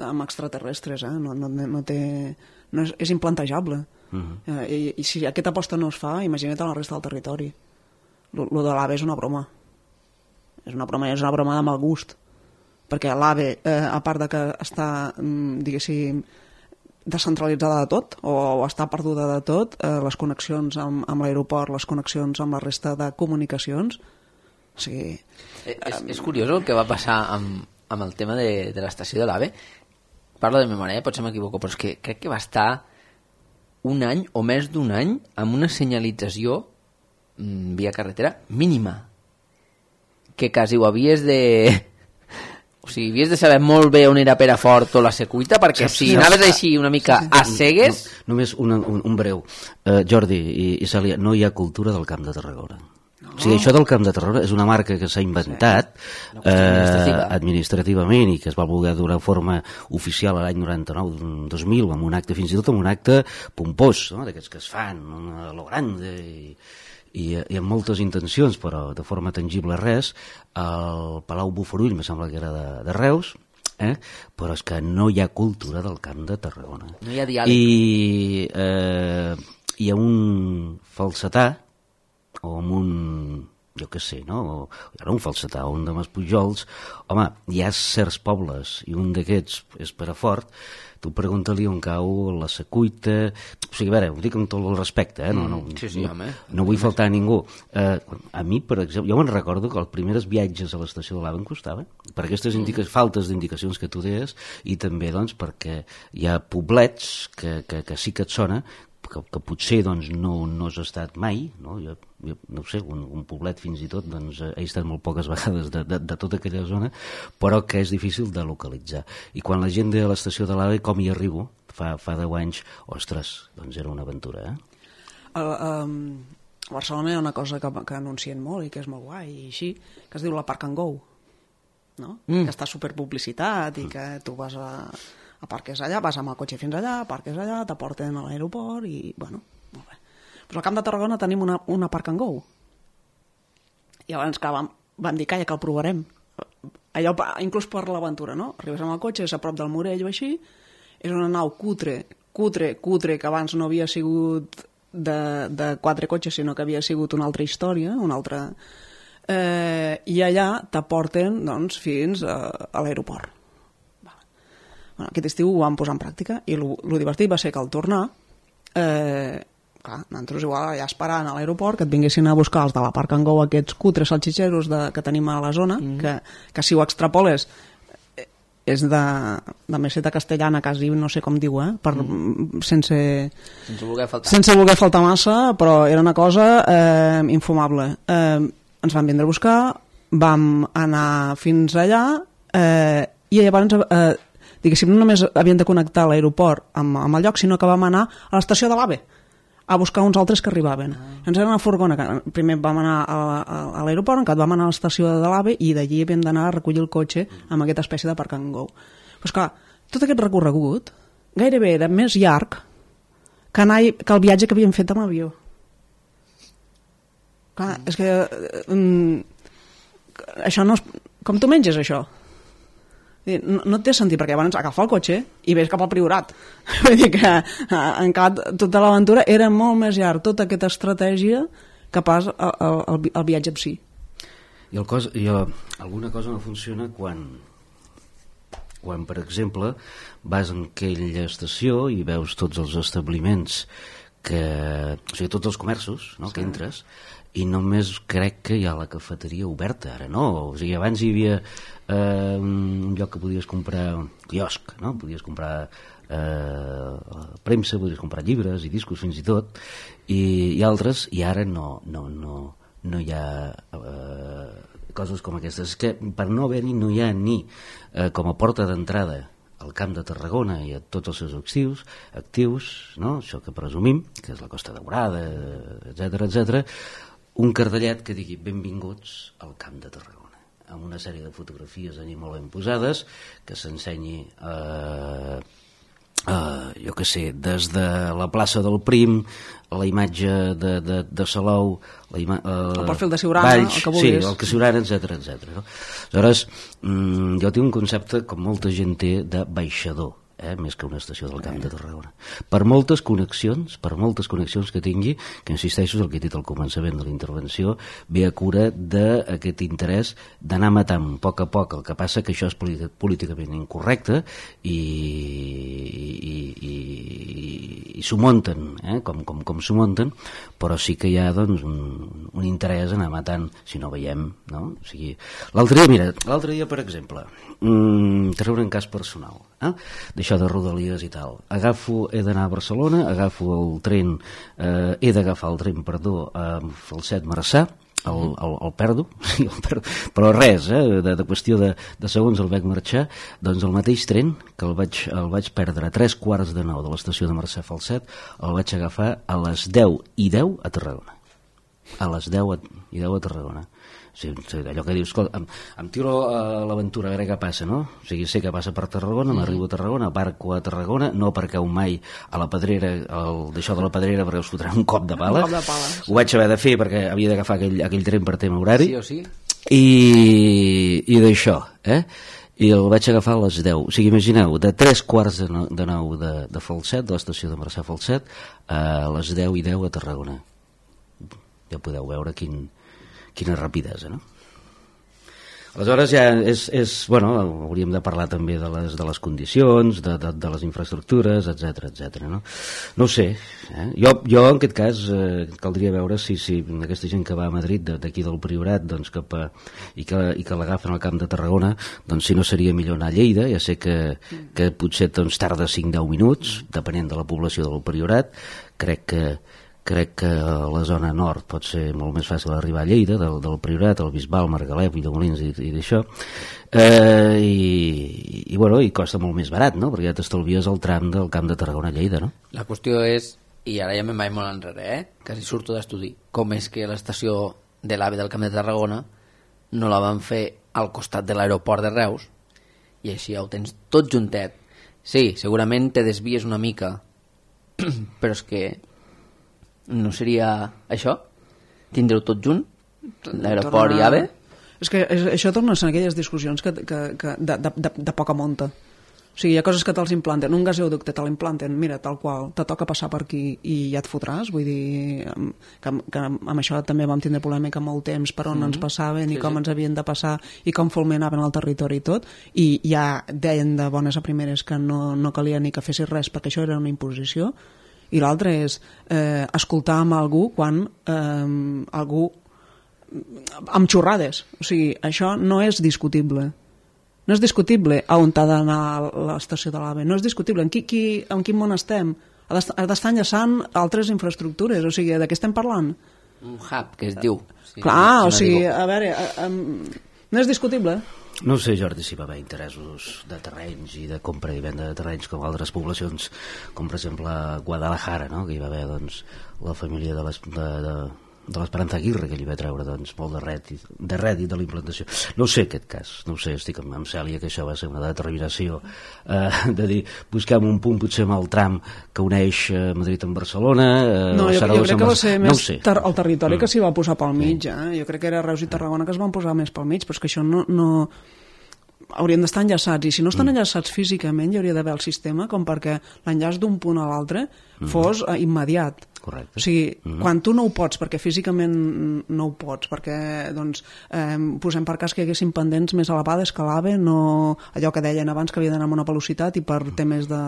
amb extraterrestres, eh? No, no, no té... No és, és implantejable. Uh-huh. eh, i, I si aquesta aposta no es fa, imagina't a la resta del territori. Lo, lo de l'AVE és una broma. És una broma, és una broma de mal gust. Perquè l'AVE, eh, a part de que està, diguéssim, descentralitzada de tot, o, o està perduda de tot, eh, les connexions amb, amb l'aeroport, les connexions amb la resta de comunicacions, o sigui... Eh, és, és curiós el que va passar amb, amb el tema de, de l'estació de l'AVE. Parlo de memòria, potser m'equivoco, però és que crec que va estar un any o més d'un any amb una senyalització mm, via carretera mínima. Que quasi ho havies de... O sigui, havies de saber molt bé on era Perafort o la Secuita, perquè si anaves així una mica a cegues... No, només una, un, un breu. Uh, Jordi i, i Cèlia, no hi ha cultura del Camp de Tarragona. No. O sigui, això del Camp de Tarragona és una marca que s'ha inventat sí. eh, administrativament i que es va voler donar forma oficial a l'any noranta-nou dos mil, amb un acte, fins i tot amb un acte pompós, no? D'aquests que es fan a lo grande i... I, i amb moltes intencions, però de forma tangible res. El Palau Bofarull me sembla que era de, de Reus, eh? Però és que no hi ha cultura del Camp de Tarragona. No hi ha diàleg. I eh, hi ha un falsetà o amb un, jo què sé, no? O, hi ha un falsetà o un de Maspujols. Home, hi ha certs pobles i un d'aquests és Perafort. Tu pregunta-li on cau la Secuita... O sigui, a veure, ho dic amb tot el respecte, eh? No, no, sí, sí, no, home. no vull faltar a ningú. Eh, a mi, per exemple, jo me'n recordo que els primers viatges a l'estació de l'AVE em costaven, per aquestes indica- faltes d'indicacions que tu deies, i també doncs, perquè hi ha poblets que, que, que sí que et sona, que, que potser doncs, no, no has estat mai, no? Jo, jo no sé, un, un poblet fins i tot doncs, he estat molt poques vegades de, de, de tota aquella zona, però que és difícil de localitzar. I quan la gent de l'estació de l'AVE, com hi arribo, fa, fa deu anys, ostres, doncs era una aventura, eh? A, a, a Barcelona hi ha una cosa que, que anuncien molt i que és molt guai i així, que es diu la Park and Go, no? Mm. Que està superpublicitat i que tu vas a, a parques allà, vas amb el cotxe fins allà, parques allà, t'aporten a l'aeroport i, bueno, molt bé. Però al Camp de Tarragona tenim una, una Park and Go. I llavors que vam, vam dir, calla, que el provarem. Allò, inclús per l'aventura, no? Arribes amb el cotxe, és a prop del Morell o així, és una nau cutre, cutre, cutre, que abans no havia sigut de, de quatre cotxes, sinó que havia sigut una altra història, una altra... Eh, I allà t'aporten, doncs, fins a, a l'aeroport. Bueno, aquest estiu ho vam posar en pràctica i el divertit va ser que al tornar, eh, clar, nosaltres igual allà esperant a l'aeroport que et vinguessin a buscar els de la Park and Go, aquests cutres salxitxeros de, que tenim a la zona, mm. que, que si ho extrapoles és de, de meseta castellana quasi, no sé com diu, eh? Per, mm. sense, sense, voler faltar. sense voler faltar massa, però era una cosa eh, infumable. Eh, ens van vindre a buscar, vam anar fins allà eh, i llavors... Eh, diguéssim, no només havien de connectar l'aeroport amb, amb el lloc, sinó que vam anar a l'estació de l'AVE a buscar uns altres que arribaven. Ah. Ens era una furgona, que primer vam anar a, a, a l'aeroport, encara vam anar a l'estació de l'AVE i d'allí havíem d'anar a recollir el cotxe amb aquesta espècie de Park and Go. Però esclar, tot aquest recorregut gairebé era més llarg que, anar, que el viatge que havíem fet amb avió. Clar, mm. és que mm, això no és... Com tu menges això? No, no té sentit, perquè llavors agafar el cotxe i ves cap al Priorat. Vull dir que en cap, tota l'aventura era molt més llarg, tota aquesta estratègia que pas el, el, el viatge en si. I, el cos, i el, alguna cosa no funciona quan, quan, per exemple, vas en aquella estació i veus tots els establiments, que, o sigui, tots els comerços, no?, sí. que entres, i només crec que hi ha la cafeteria oberta, ara no, o sigui, abans hi havia eh, un lloc que podies comprar, un quiosc, no? Podies comprar eh, premsa, podies comprar llibres i discos fins i tot, i, i altres, i ara no, no, no, no hi ha eh, coses com aquestes. És que per no haver-hi no hi ha ni eh, com a porta d'entrada al Camp de Tarragona i a tots els seus actius, actius, no? Això que presumim, que és la Costa Daurada, etcètera, etcètera, un cartellet que digui benvinguts al Camp de Tarragona, amb una sèrie de fotografies allà molt ben posades, que s'ensenyi eh, eh, jo què sé, des de la plaça del Prim, la imatge de, de, de Salou, la ima, eh, el perfil de Siurana, Valls, el que vulguis. Sí, el que Siurana, etcètera, etcètera. No? Aleshores, mm, jo tinc un concepte com molta gent té de baixador, eh, més que una estació del Camp de Tarragona. Per moltes connexions, per moltes connexions que tingui, que insisteixo, el que he dit al començament de la intervenció, ve a cura d'aquest interès d'anar matant a poc a poc. El que passa que això és políticament incorrecte i, i, i, i, i s'ho munten, eh, com, com, com s'ho munten, però sí que hi ha doncs, un, un interès a anar matant, si no veiem, no? O sigui, l'altre dia, mira, l'altre dia, per exemple, mm, treure un cas personal, eh? D'això de Rodalies i tal, agafo, he d'anar a Barcelona, agafo el tren, eh, he d'agafar el tren, perdó, a Falset Marçà, el, el, el perdo, el perdo, però res, eh, de, de qüestió de, de segons el veig marxar, doncs el mateix tren que el vaig, el vaig perdre a tres quarts de nou de l'estació de Marçà Falset, el vaig agafar a les deu i deu a Tarragona, a les deu i deu a Tarragona. Sí, allò que dius, escolta, em, em tiro a l'aventura a veure què passa, no? O sigui, sé que passa per Tarragona, m'arribo a Tarragona, barco a Tarragona, no perquè ho mai a la Pedrera, d'això de la Pedrera, perquè us fotran un cop de pala. Un cop de pala, sí. Ho vaig haver de fer perquè havia d'agafar aquell, aquell tren per tema horari. Sí o sí? I, i d'això, eh? I el vaig agafar a les deu. O sigui, imagineu, de tres quarts de nou de, de, de Falset, de l'estació de Marçà Falset, a les deu i deu a Tarragona. Ja podeu veure quin... quina rapidesa, no? Aleshores ja és, és bueno, hauríem de parlar també de les, de les condicions, de, de, de les infraestructures, etcètera, etcètera, no? No ho sé, eh? jo, jo en aquest cas eh, caldria veure si, si aquesta gent que va a Madrid d'aquí del Priorat, doncs cap a, i que, i que l'agafen al Camp de Tarragona, doncs si no seria millor anar a Lleida. Ja sé que, que potser doncs, tarda cinc a deu minuts, depenent de la població del Priorat. Crec que crec que a la zona nord pot ser molt més fàcil arribar a Lleida, del, del Priorat, el Bisbal, Margalef, Villamolins i, i d'això, eh, i, i, bueno, i costa molt més barat, no? Perquè ja t'estalvies el tram del Camp de Tarragona a Lleida, no? La qüestió és i ara ja me'n vaig molt enrere, eh? Quasi surto d'estudi, com és que l'estació de l'AVE del Camp de Tarragona no la van fer al costat de l'aeroport de Reus, i així ja ho tens tot juntet. Sí, segurament te desvies una mica, però és que no seria això? Tindreu tot junt? L'aeroport i AVE? És que això torna a ser aquelles discussions que, que, que de, de, de, de poca monta. O sigui, hi ha coses que te'ls implanten, un gasoducte te l'implanten, mira, tal qual, te toca passar per aquí i ja et fotràs, vull dir que, que amb això també vam tindre polèmica molt temps per on mm-hmm. ens passaven i sí, com sí. ens havien de passar i com fulminaven el territori i tot, i ja deien de bones a primeres que no, no calia ni que fessis res perquè això era una imposició, i l'altre és eh, escoltar amb algú quan eh, algú amb xorrades, o sigui, això no és discutible. No és discutible a on ha d'anar l'estació de l'AVE, no és discutible. En, qui, qui, en quin món estem? Ha d'estar enllaçant altres infraestructures, o sigui, de què estem parlant? Un hub, que es diu. Sí, clar, no, o sigui, a veure, um, no és discutible. No sé, Jordi, si va haver interessos de terrenys i de compra i venda de terrenys com altres poblacions, com per exemple Guadalajara, no? Que hi va haver doncs, la família de les... De, de de l'Esperanza Aguirre, que li va treure doncs, molt de rèdit, de rèdit de la implantació. No sé aquest cas, no sé, estic amb, amb Cèlia que això va ser una determinació eh, de dir, busquem un punt potser amb el tram que uneix eh, Madrid amb Barcelona, eh, no, jo, jo crec que va ser no més ter el territori mm. que s'hi va posar pel mig, eh? Jo crec que era Reus i Tarragona que es van posar més pel mig, però és que això no... no... haurien d'estar enllaçats, i si no estan mm. enllaçats físicament hi hauria d'haver el sistema com perquè l'enllaç d'un punt a l'altre mm. fos eh, immediat. Correcte. O sigui, mm. quan tu no ho pots perquè físicament no ho pots, perquè doncs, eh, posem per cas que hi haguessin pendents més elevades que l'AVE, no allò que deien abans que havia d'anar amb una velocitat i per temes de,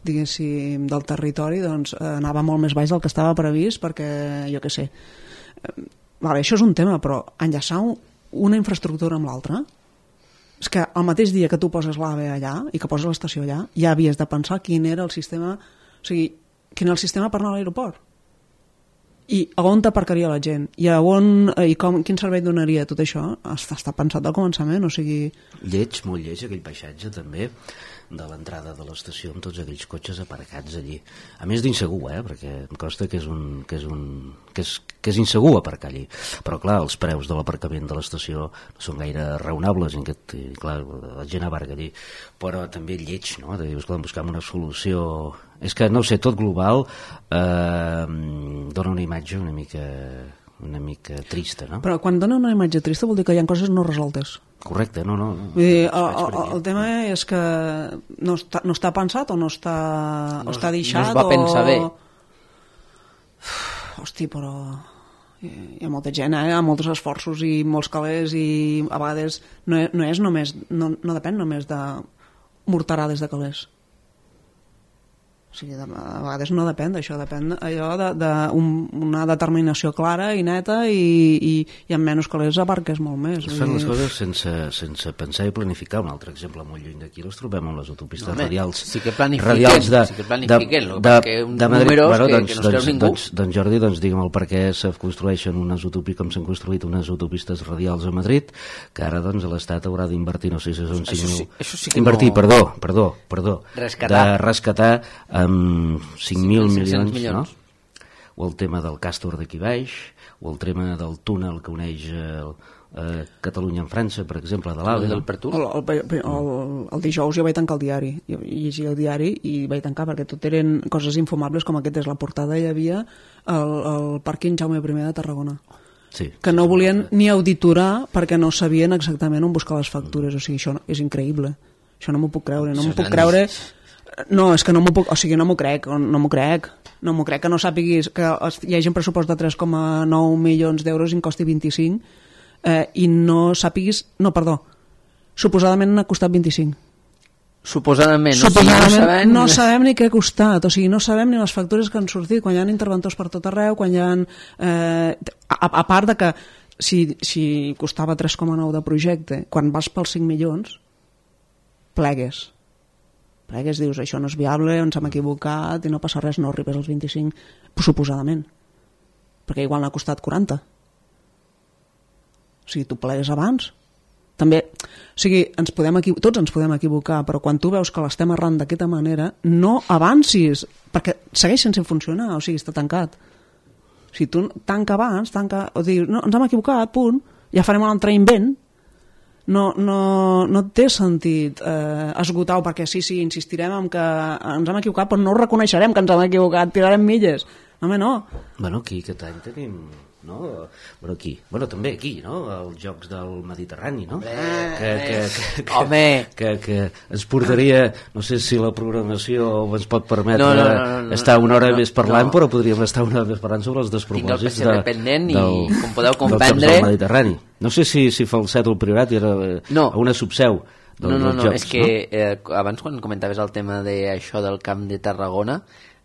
diguéssim, del territori doncs, eh, anava molt més baix del que estava previst perquè, jo què sé eh, vale, això és un tema, però enllaçar una infraestructura amb l'altra, és que el mateix dia que tu poses l'AVE allà i que poses l'estació allà, ja havies de pensar quin era el sistema, o sigui, quin era el sistema per anar a l'aeroport i a on t'aparcaria la gent i, a on, i com, quin servei donaria tot això, està, està pensat al començament, o sigui... Lleig, molt lleig aquell paisatge també de l'entrada de l'estació amb tots aquells cotxes aparcats allí, a més d'insegur, eh? Perquè em costa que és, un, que, és un, que, és, que és insegur aparcar allí, però clar, els preus de l'aparcament de l'estació no són gaire raonables i, aquest, i clar, la gent aparca allí, però també lleig, no? De dir, escolta, buscam una solució, és que no sé, tot global eh, dona una imatge una mica una mica trista, no? Però quan dona una imatge trista vol dir que hi ha coses no resoltes. Correcte, no, no. Vull dir, el, el, el tema és que no està, no està pensat o no està, no, o està deixat no es va pensar o... bé. Hosti, però hi ha molta gent, eh? Hi ha molts esforços i molts calés i a vegades no, no és només, no, no depèn només de morterades de calés. O sigui, a vegades no depèn d'això, depèn allò de, de un, una determinació clara i neta i, i, i amb menys calés abarques molt més. Es fan les coses sense, sense pensar i planificar. Un altre exemple molt lluny d'aquí les trobem amb les autopistes no, radials. Sí que planifiquen, de, sí que planifiquen de, de, perquè uns de Madrid, números bueno, doncs, que, que no es creu ningú. Doncs, doncs Jordi, doncs, digue'm el per què se construeixen unes autopistes, com s'han construït unes autopistes radials a Madrid, que ara doncs l'Estat haurà d'invertir, no sé si són cinc mil... Sí, sí invertir, no... perdó, perdó, perdó. Rescatar. De rescatar amb cinc mil milions, milions, no? O el tema del Càstor d'aquí baix, o el tema del túnel que uneix eh, eh, Catalunya amb França, per exemple, de l'AVE. El, el, el, el, el dijous jo vaig tancar el diari, jo llegia el diari i vaig tancar perquè tot eren coses infumables com aquest és la portada, hi havia el, el pàrquing Jaume I de Tarragona. Sí, que no volien ni auditorar perquè no sabien exactament on buscar les factures, o sigui, això és increïble, això no m'ho puc creure, no m'ho puc creure... No, és que no m'ho puc, o sigui, no m'ho crec, no m'ho crec, no m'ho crec que no sàpiguis que hi hagi un pressupost de tres coma nou milions d'euros i en costi vint-i-cinc eh, i no sàpiguis, no, perdó, suposadament n'ha costat vint-i-cinc. Suposadament, no, suposadament no, sabem... no sabem ni què ha costat, o sigui, no sabem ni les factures que han sortit, quan hi ha interventors per tot arreu, quan hi ha... Eh, a, a part de que si, si costava tres coma nou de projecte, quan vas pels cinc milions, plegues. Plegues, dius, això no és viable, ens hem equivocat i no passa res, no arribes als vint-i-cinc, suposadament, perquè igual n'ha costat quaranta. O sigui, tu plegues abans, també, o sigui, ens podem equivo- tots ens podem equivocar, però quan tu veus que l'estem errant d'aquesta manera, no avancis, perquè segueix sense funcionar, o sigui, està tancat. Si tu tanca abans, tanca, o dius, no, ens hem equivocat, punt, ja farem un altre invent, no, no, no té sentit eh, esgotar-ho, perquè sí, sí, insistirem en que ens hem equivocat, però no reconeixerem que ens hem equivocat, tirarem milles. No, home, no. Bueno, aquí aquest any tenim, no? Bueno, aquí, bueno, també aquí, no? Els Jocs del Mediterrani, no? Que, que, que, que, Home! Que, que ens portaria, no sé si la programació ens pot permetre No, no, no, no, no, estar una hora no, més parlant, no. però podríem estar una hora més parlant sobre els Tinc el despropòsits P C dependent i, com podeu dels comprendre... Jocs del Mediterrani. No sé si, si Falset o el Priorat era No. una subseu dels, No, no, dels no, Jocs, és que eh, abans quan comentaves el tema d'això del Camp de Tarragona,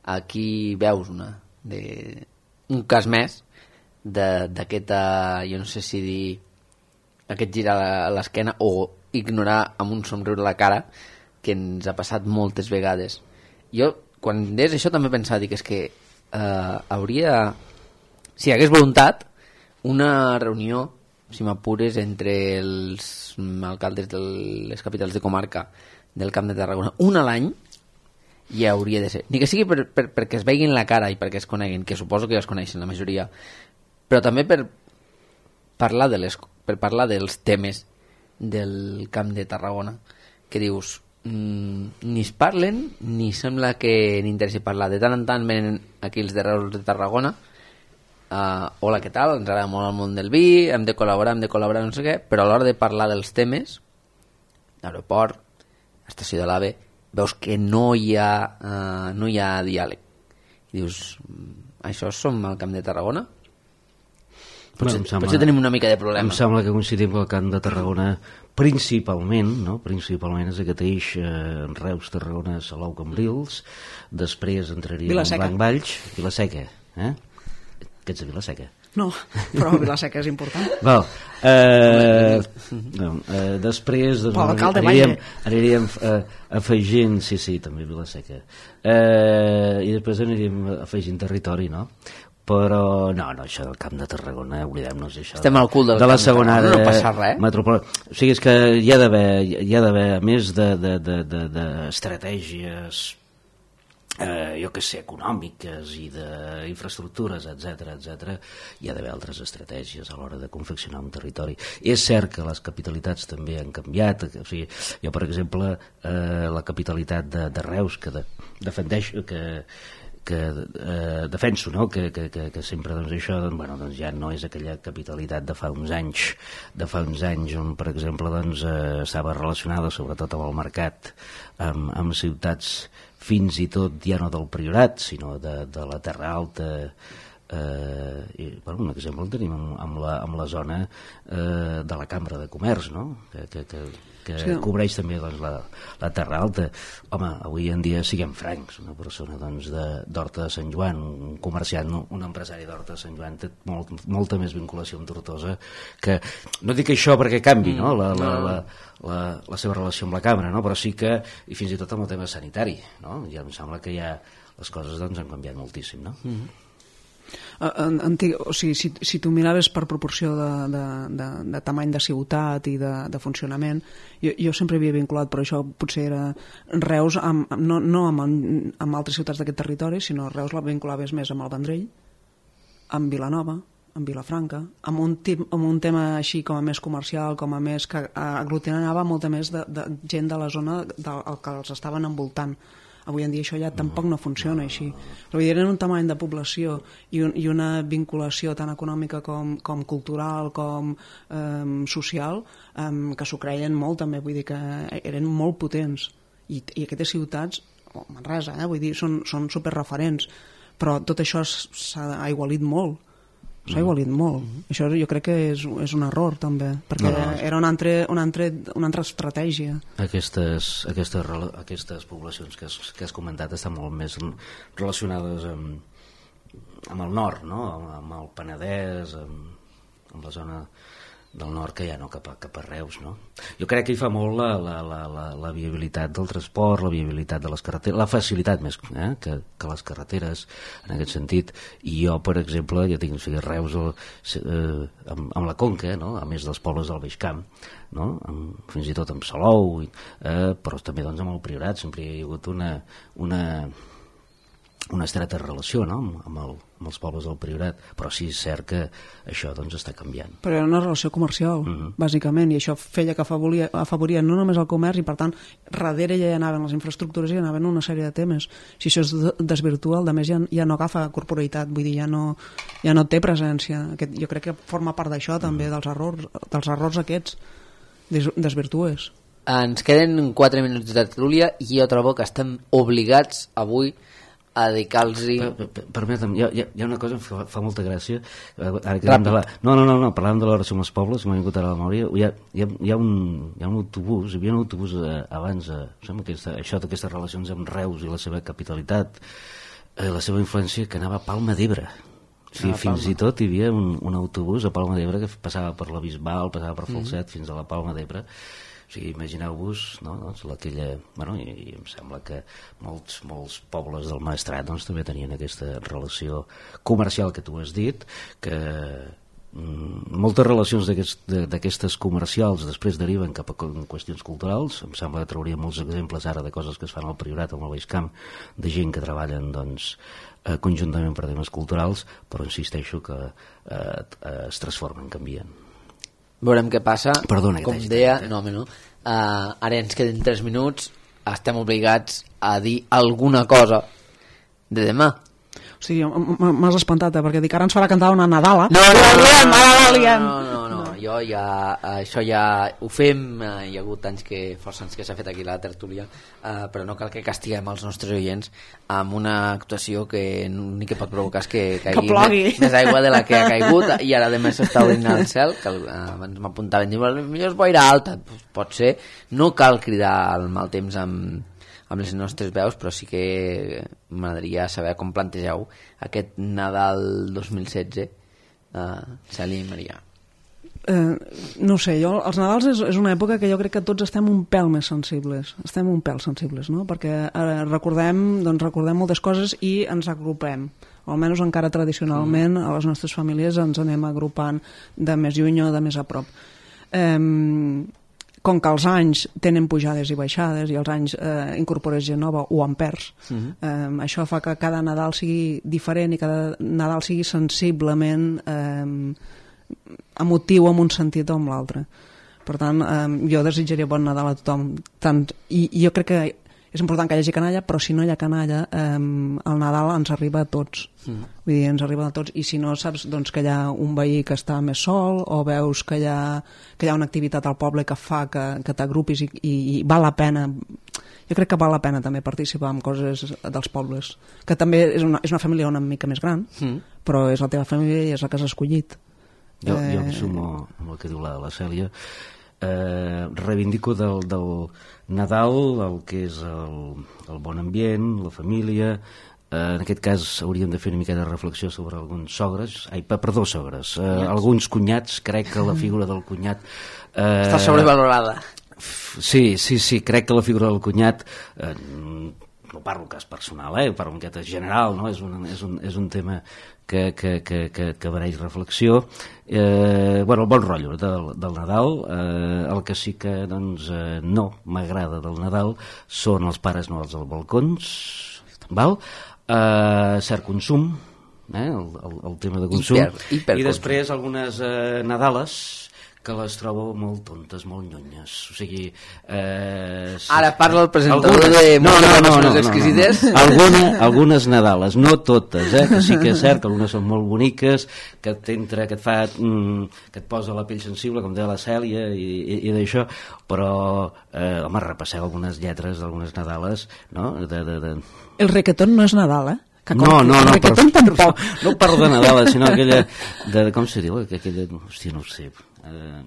aquí veus una, de, un cas més d'aquesta, jo no sé si dir aquest girar a l'esquena o ignorar amb un somriure a la cara que ens ha passat moltes vegades. Jo, quan deies això, també pensava, dic, és que eh, hauria, si hi hagués voluntat, una reunió, si m'apures, entre els alcaldes de les capitals de comarca del Camp de Tarragona, un a l'any, ja hauria de ser. Ni que sigui per, per, perquè es veguin la cara i perquè es coneguin, que suposo que ja es coneixen la majoria, però també per parlar, de les, per parlar dels temes del Camp de Tarragona, que dius, mmm, ni es parlen, ni sembla que n'interessi parlar. De tant en tant venen aquí els de Reus de Tarragona, uh, hola, què tal? Ens agrada molt el món del vi, hem de col·laborar, hem de col·laborar, no sé què, però a l'hora de parlar dels temes, l'aeroport, estació de l'AVE, veus que no hi ha, uh, no hi ha diàleg. I dius, això som al Camp de Tarragona? Potser, Bueno, sembla, potser tenim una mica de problema. Em sembla que coincidim que el Camp de Tarragona principalment, no? principalment és aquest eix eh, Reus, Tarragona, Salou, Cambrils, després entraríem en Blanc Valls, Vila-seca, eh? Que ets de Vila-seca? No, però Vila-seca és important. Val. Eh, no, eh, després doncs, aniríem, aniríem eh, afegint, sí, sí, també Vila-seca, eh, i després aniríem afegint territori, no? Però no, no, això del Camp de Tarragona, oblidem-nos això. Estem al cul del de la Camp de segona Tarragona, no àrea passa res. metropolitana. O sigui, és que hi ha d'haver, hi ha d'haver, a més de, de, de, de, de estratègies, eh, jo que sé, econòmiques i d'infraestructures, etcètera, etcètera, hi ha d'haver altres estratègies a l'hora de confeccionar un territori. És cert que les capitalitats també han canviat, o sigui, jo, per exemple, eh, la capitalitat de, de Reus, que de, defendeix, que que eh, defenso, no? que, que, que, que sempre doncs, això doncs, bueno, doncs, ja no és aquella capitalitat de fa uns anys de fa uns anys on per exemple doncs, eh, estava relacionada sobretot amb el mercat amb, amb ciutats fins i tot ja no del Priorat sinó de, de la Terra Alta, eh, i, bueno, un exemple el tenim amb, amb, la, amb la zona eh, de la Cambra de Comerç, no? que, que, que que sí. cobreix també doncs, la, la Terra Alta. Home, avui en dia siguem francs, una persona doncs, d'Horta de, de Sant Joan, un comerciant, un empresari d'Horta de Sant Joan té molt, molta més vinculació amb Tortosa, que no dic això perquè canvi no? La, la, la, la, la seva relació amb la Cambra, no? Però sí que, i fins i tot amb el tema sanitari, no? Ja em sembla que ja les coses doncs, han canviat moltíssim, no? Mm-hmm. Antic, o sigui, si, si tu miraves per proporció de, de, de, de tamany de ciutat i de, de funcionament, jo, jo sempre havia vinculat, però això potser era Reus, amb, no, no amb, amb altres ciutats d'aquest territori, sinó Reus la vinculaves més amb el Vendrell, amb Vilanova, amb Vilafranca, amb un, tip, amb un tema així com a més comercial, com a més que aglutinava molta més de, de gent de la zona del que els estaven envoltant. Avui en dia això ja tampoc no funciona així. Però eren un tamany de població i, un, i una vinculació tan econòmica com, com cultural, com eh, social, eh, que s'ho creien molt també, vull dir que eren molt potents. I, i aquestes ciutats, oh, Manresa, eh, vull dir, són, són superreferents, però tot això s'ha aigualit molt. S'ha igualit molt. Mm-hmm. Això jo crec que és, és un error també, perquè no, no. era una altra, una, altra, una altra estratègia. Aquestes, aquestes, aquestes poblacions que has, que has comentat estan molt més relacionades amb, amb el nord, no? amb, amb el Penedès, amb, amb la zona del nord que ja no cap a, cap a Reus, no? Jo crec que hi fa molt la, la, la, la, la viabilitat del transport, la viabilitat de les carreteres, la facilitat més eh, que, que les carreteres en aquest sentit. I jo, per exemple, ja tinc o sigui, Reus eh, amb, amb la Conca, no? A més dels pobles del Baix Camp, no? Amb, fins i tot amb Salou, eh, però també doncs, amb el Priorat sempre hi ha hagut una, una, una estreta relació, no? amb, el, amb els pobles del Priorat, però sí és cert que això doncs, està canviant. Però era una relació comercial, uh-huh. bàsicament, i això feia que afavoria, afavoria no només el comerç, i per tant, darrere ja hi anaven les infraestructures i hi anaven una sèrie de temes. Si això es desvirtua, el de més ja, ja no agafa corporeïtat, vull dir, ja no, ja no té presència. Aquest, jo crec que forma part d'això també, uh-huh. dels errors, dels errors aquests, des, desvirtues. Ens queden quatre minuts de tertúlia i jo trobo que estem obligats avui a dedicar-los-hi... Per, per, permetem, hi ha, hi ha una cosa que fa, fa molta gràcia. Ara que de la... No, no, no, no, parlàvem de l'hora amb els pobles, m'ha vingut ara a la memòria. Hi ha, hi ha, hi ha, un, hi ha un autobús, hi havia un autobús eh, abans, eh, sembla que aquesta, això d'aquestes relacions amb Reus i la seva capitalitat, eh, la seva influència, que anava a Palma d'Ebre. O sigui, ah, fins Palma. I tot hi havia un, un autobús a Palma d'Ebre que passava per la Bisbal, passava per Falset, mm. fins a la Palma d'Ebre. O sigui, imagineu-vos, no, doncs, aquella, bueno, i, i em sembla que molts, molts pobles del Maestrat doncs, també tenien aquesta relació comercial que tu has dit, que mm, moltes relacions d'aquestes comercials després deriven cap a qüestions culturals. Em sembla que trauria molts exemples ara de coses que es fan al Priorat, al Baix Camp, de gent que treballen doncs, eh, conjuntament per temes culturals, però insisteixo que eh, eh, es transformen, canvien. Veurem què passa. Perdona, com deia, no, no. Uh, ara ens queden tres minuts, estem obligats a dir alguna cosa de demà. O sigui, m'has espantat, eh? Perquè dic, ara ens farà cantar una Nadala. No, no, no, no, no, no, no, no. Jo ja, això ja ho fem, uh, hi ha hagut anys que, força anys que s'ha fet aquí la tertúlia, uh, però no cal que castiguem els nostres oients amb una actuació que l'únic que pot provocar és que caigui que més, més aigua de la que ha caigut, i ara a més s'està obrint al cel, que uh, abans m'apuntaven, diu, millor és boira alta, pues pot ser, no cal cridar el mal temps amb, amb les nostres veus, però sí que m'agradaria saber com plantegeu aquest Nadal dos mil setze, uh, Cèlia i Maria. Eh, no sé, jo, els Nadals és, és una època que jo crec que tots estem un pèl més sensibles, estem un pèl sensibles, no? Perquè eh, recordem, doncs recordem moltes coses i ens agrupem, o almenys encara tradicionalment a les nostres famílies ens anem agrupant de més lluny o de més a prop. Eh, com que els anys tenen pujades i baixades i els anys eh, incorpores gent nova o en perds, uh-huh. eh, això fa que cada Nadal sigui diferent i cada Nadal sigui sensiblement eh, emotiu en un sentit o en l'altre. Per tant, eh, jo desitjaria bon Nadal a tothom. Tant, i, I jo crec que és important que hi hagi canalla, però si no hi ha canalla, eh, el Nadal ens arriba a tots. Mm. Vull dir, ens arriba a tots. I si no saps doncs, que hi ha un veí que està més sol, o veus que hi ha, que hi ha una activitat al poble que fa que, que t'agrupis i, i, i val la pena... Jo crec que val la pena també participar en coses dels pobles. Que també és una, és una família una mica més gran, mm. però és la teva família i és la que has escollit. Jo, jo em sumo amb el que diu la, la Cèlia. Eh, reivindico del, del Nadal el que és el, el bon ambient, la família. Eh, en aquest cas hauríem de fer una mica de reflexió sobre alguns sogres, ai, perdó, sogres, eh, alguns cunyats. Crec que la figura del cunyat eh, està sobrevalorada. Sí, sí, sí, crec que la figura del cunyat eh, no parlo cas personal, eh, parlo en aquest general, no? És un, és un, és un tema que, que, que, que, que mereix reflexió. Eh, bueno, el bon rotllo del, del Nadal, eh, el que sí que doncs, eh, no m'agrada del Nadal són els Pares Noels als balcons, val? Eh, cert consum, eh, el, el, el tema de consum, hiper, hiper i després algunes eh, Nadales que les trobo molt tontes, molt nyonyes. O sigui... Eh, sí. Ara parla el presentador algunes... de no, no, no, no, exquisites. No, no. Alguna, algunes Nadales, no totes, eh, que sí que és cert que algunes són molt boniques, que t'entra, que et fa... Mm, que et posa la pell sensible, com deia la Cèlia, i, i, i d'això, però, eh, home, repasseu algunes lletres d'algunes Nadales, no? De, de, de... El requetón no és Nadal, eh? Que no, no, no, per, no, no parlo de Nadal, sinó aquella... De, com se diu? Aquella, hòstia, no ho sé... Eh,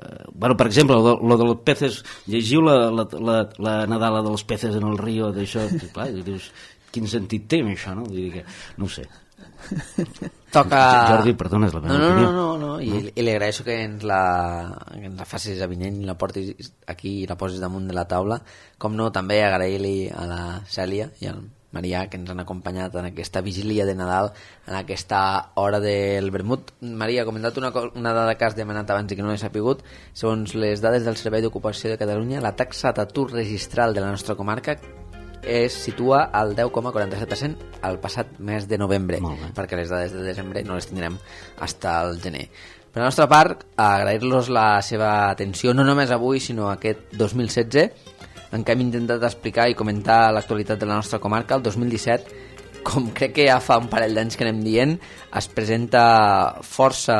eh, bueno, per exemple, lo, lo dels peces, llegiu la, la, la, la Nadala dels peces en el río, d'això, clar, i dius, quin sentit té això, no? Vull dir que, no ho sé. Toca... Jordi, perdona, és la meva no, no, opinió. no, no, no. I, i li agraeixo que ens la, que ens la facis avinent i la portis aquí i la posis damunt de la taula. Com no, també agrair-li a la Cèlia i al Marià que ens han acompanyat en aquesta vigília de Nadal, en aquesta hora del vermut. Maria, ha comentat una, una dada que has demanat abans i que no he sapigut. Segons les dades del Servei d'Ocupació de Catalunya, la taxa d'atur registral de la nostra comarca es situa al deu coma quaranta-set per cent al passat mes de novembre, perquè les dades de desembre no les tindrem fins al gener. Per la nostra part, agrair-los la seva atenció, no només avui, sinó aquest dos mil setze, en què hem intentat explicar i comentar l'actualitat de la nostra comarca. El dos mil disset, com crec que ja fa un parell d'anys que anem dient, es presenta força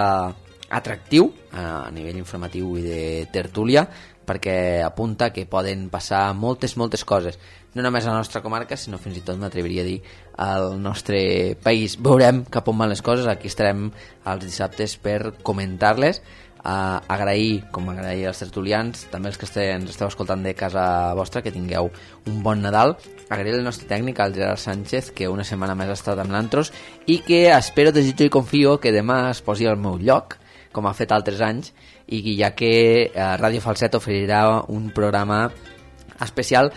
atractiu a nivell informatiu i de tertúlia, perquè apunta que poden passar moltes, moltes coses, no només a la nostra comarca, sinó fins i tot, m'atreviria a dir, al nostre país. Veurem cap on van les coses, aquí estarem els dissabtes per comentar-les. Uh, agrair, com agrair als tertulians, també els que este, ens esteu escoltant de casa vostra, que tingueu un bon Nadal. Agrair el nostre tècnic, el Gerard Sánchez, que una setmana més ha estat amb l'Antros i que espero, desitjo i confio que demà es posi al meu lloc, com ha fet altres anys, i ja que uh, Ràdio Falset oferirà un programa especial,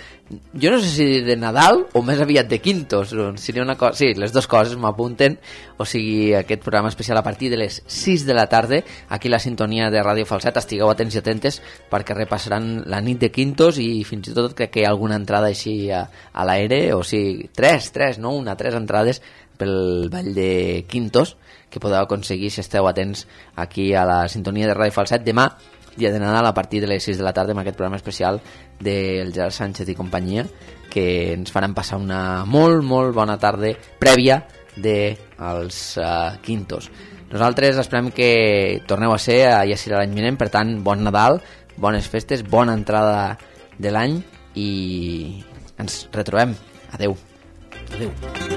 jo no sé si de Nadal o més aviat de Quintos, seria una cosa, sí, les dues coses m'apunten, o sigui, aquest programa especial a partir de les sis de la tarda, aquí la sintonia de Ràdio Falset. Estigueu atents i atentes perquè repassaran la nit de Quintos i fins i tot crec que hi ha alguna entrada així a, a l'aire, o sigui, tres, tres, no una, tres entrades pel ball de Quintos que podeu aconseguir si esteu atents aquí a la sintonia de Ràdio Falset demà, dia de Nadal, a partir de les sis de la tarda, amb aquest programa especial del Gerard Sánchez i companyia, que ens faran passar una molt, molt bona tarda prèvia dels uh, Quintos. Nosaltres esperem que torneu a ser, ja serà l'any vinent, per tant, bon Nadal, bones festes, bona entrada de l'any i ens retrobem. Adeu. Adeu.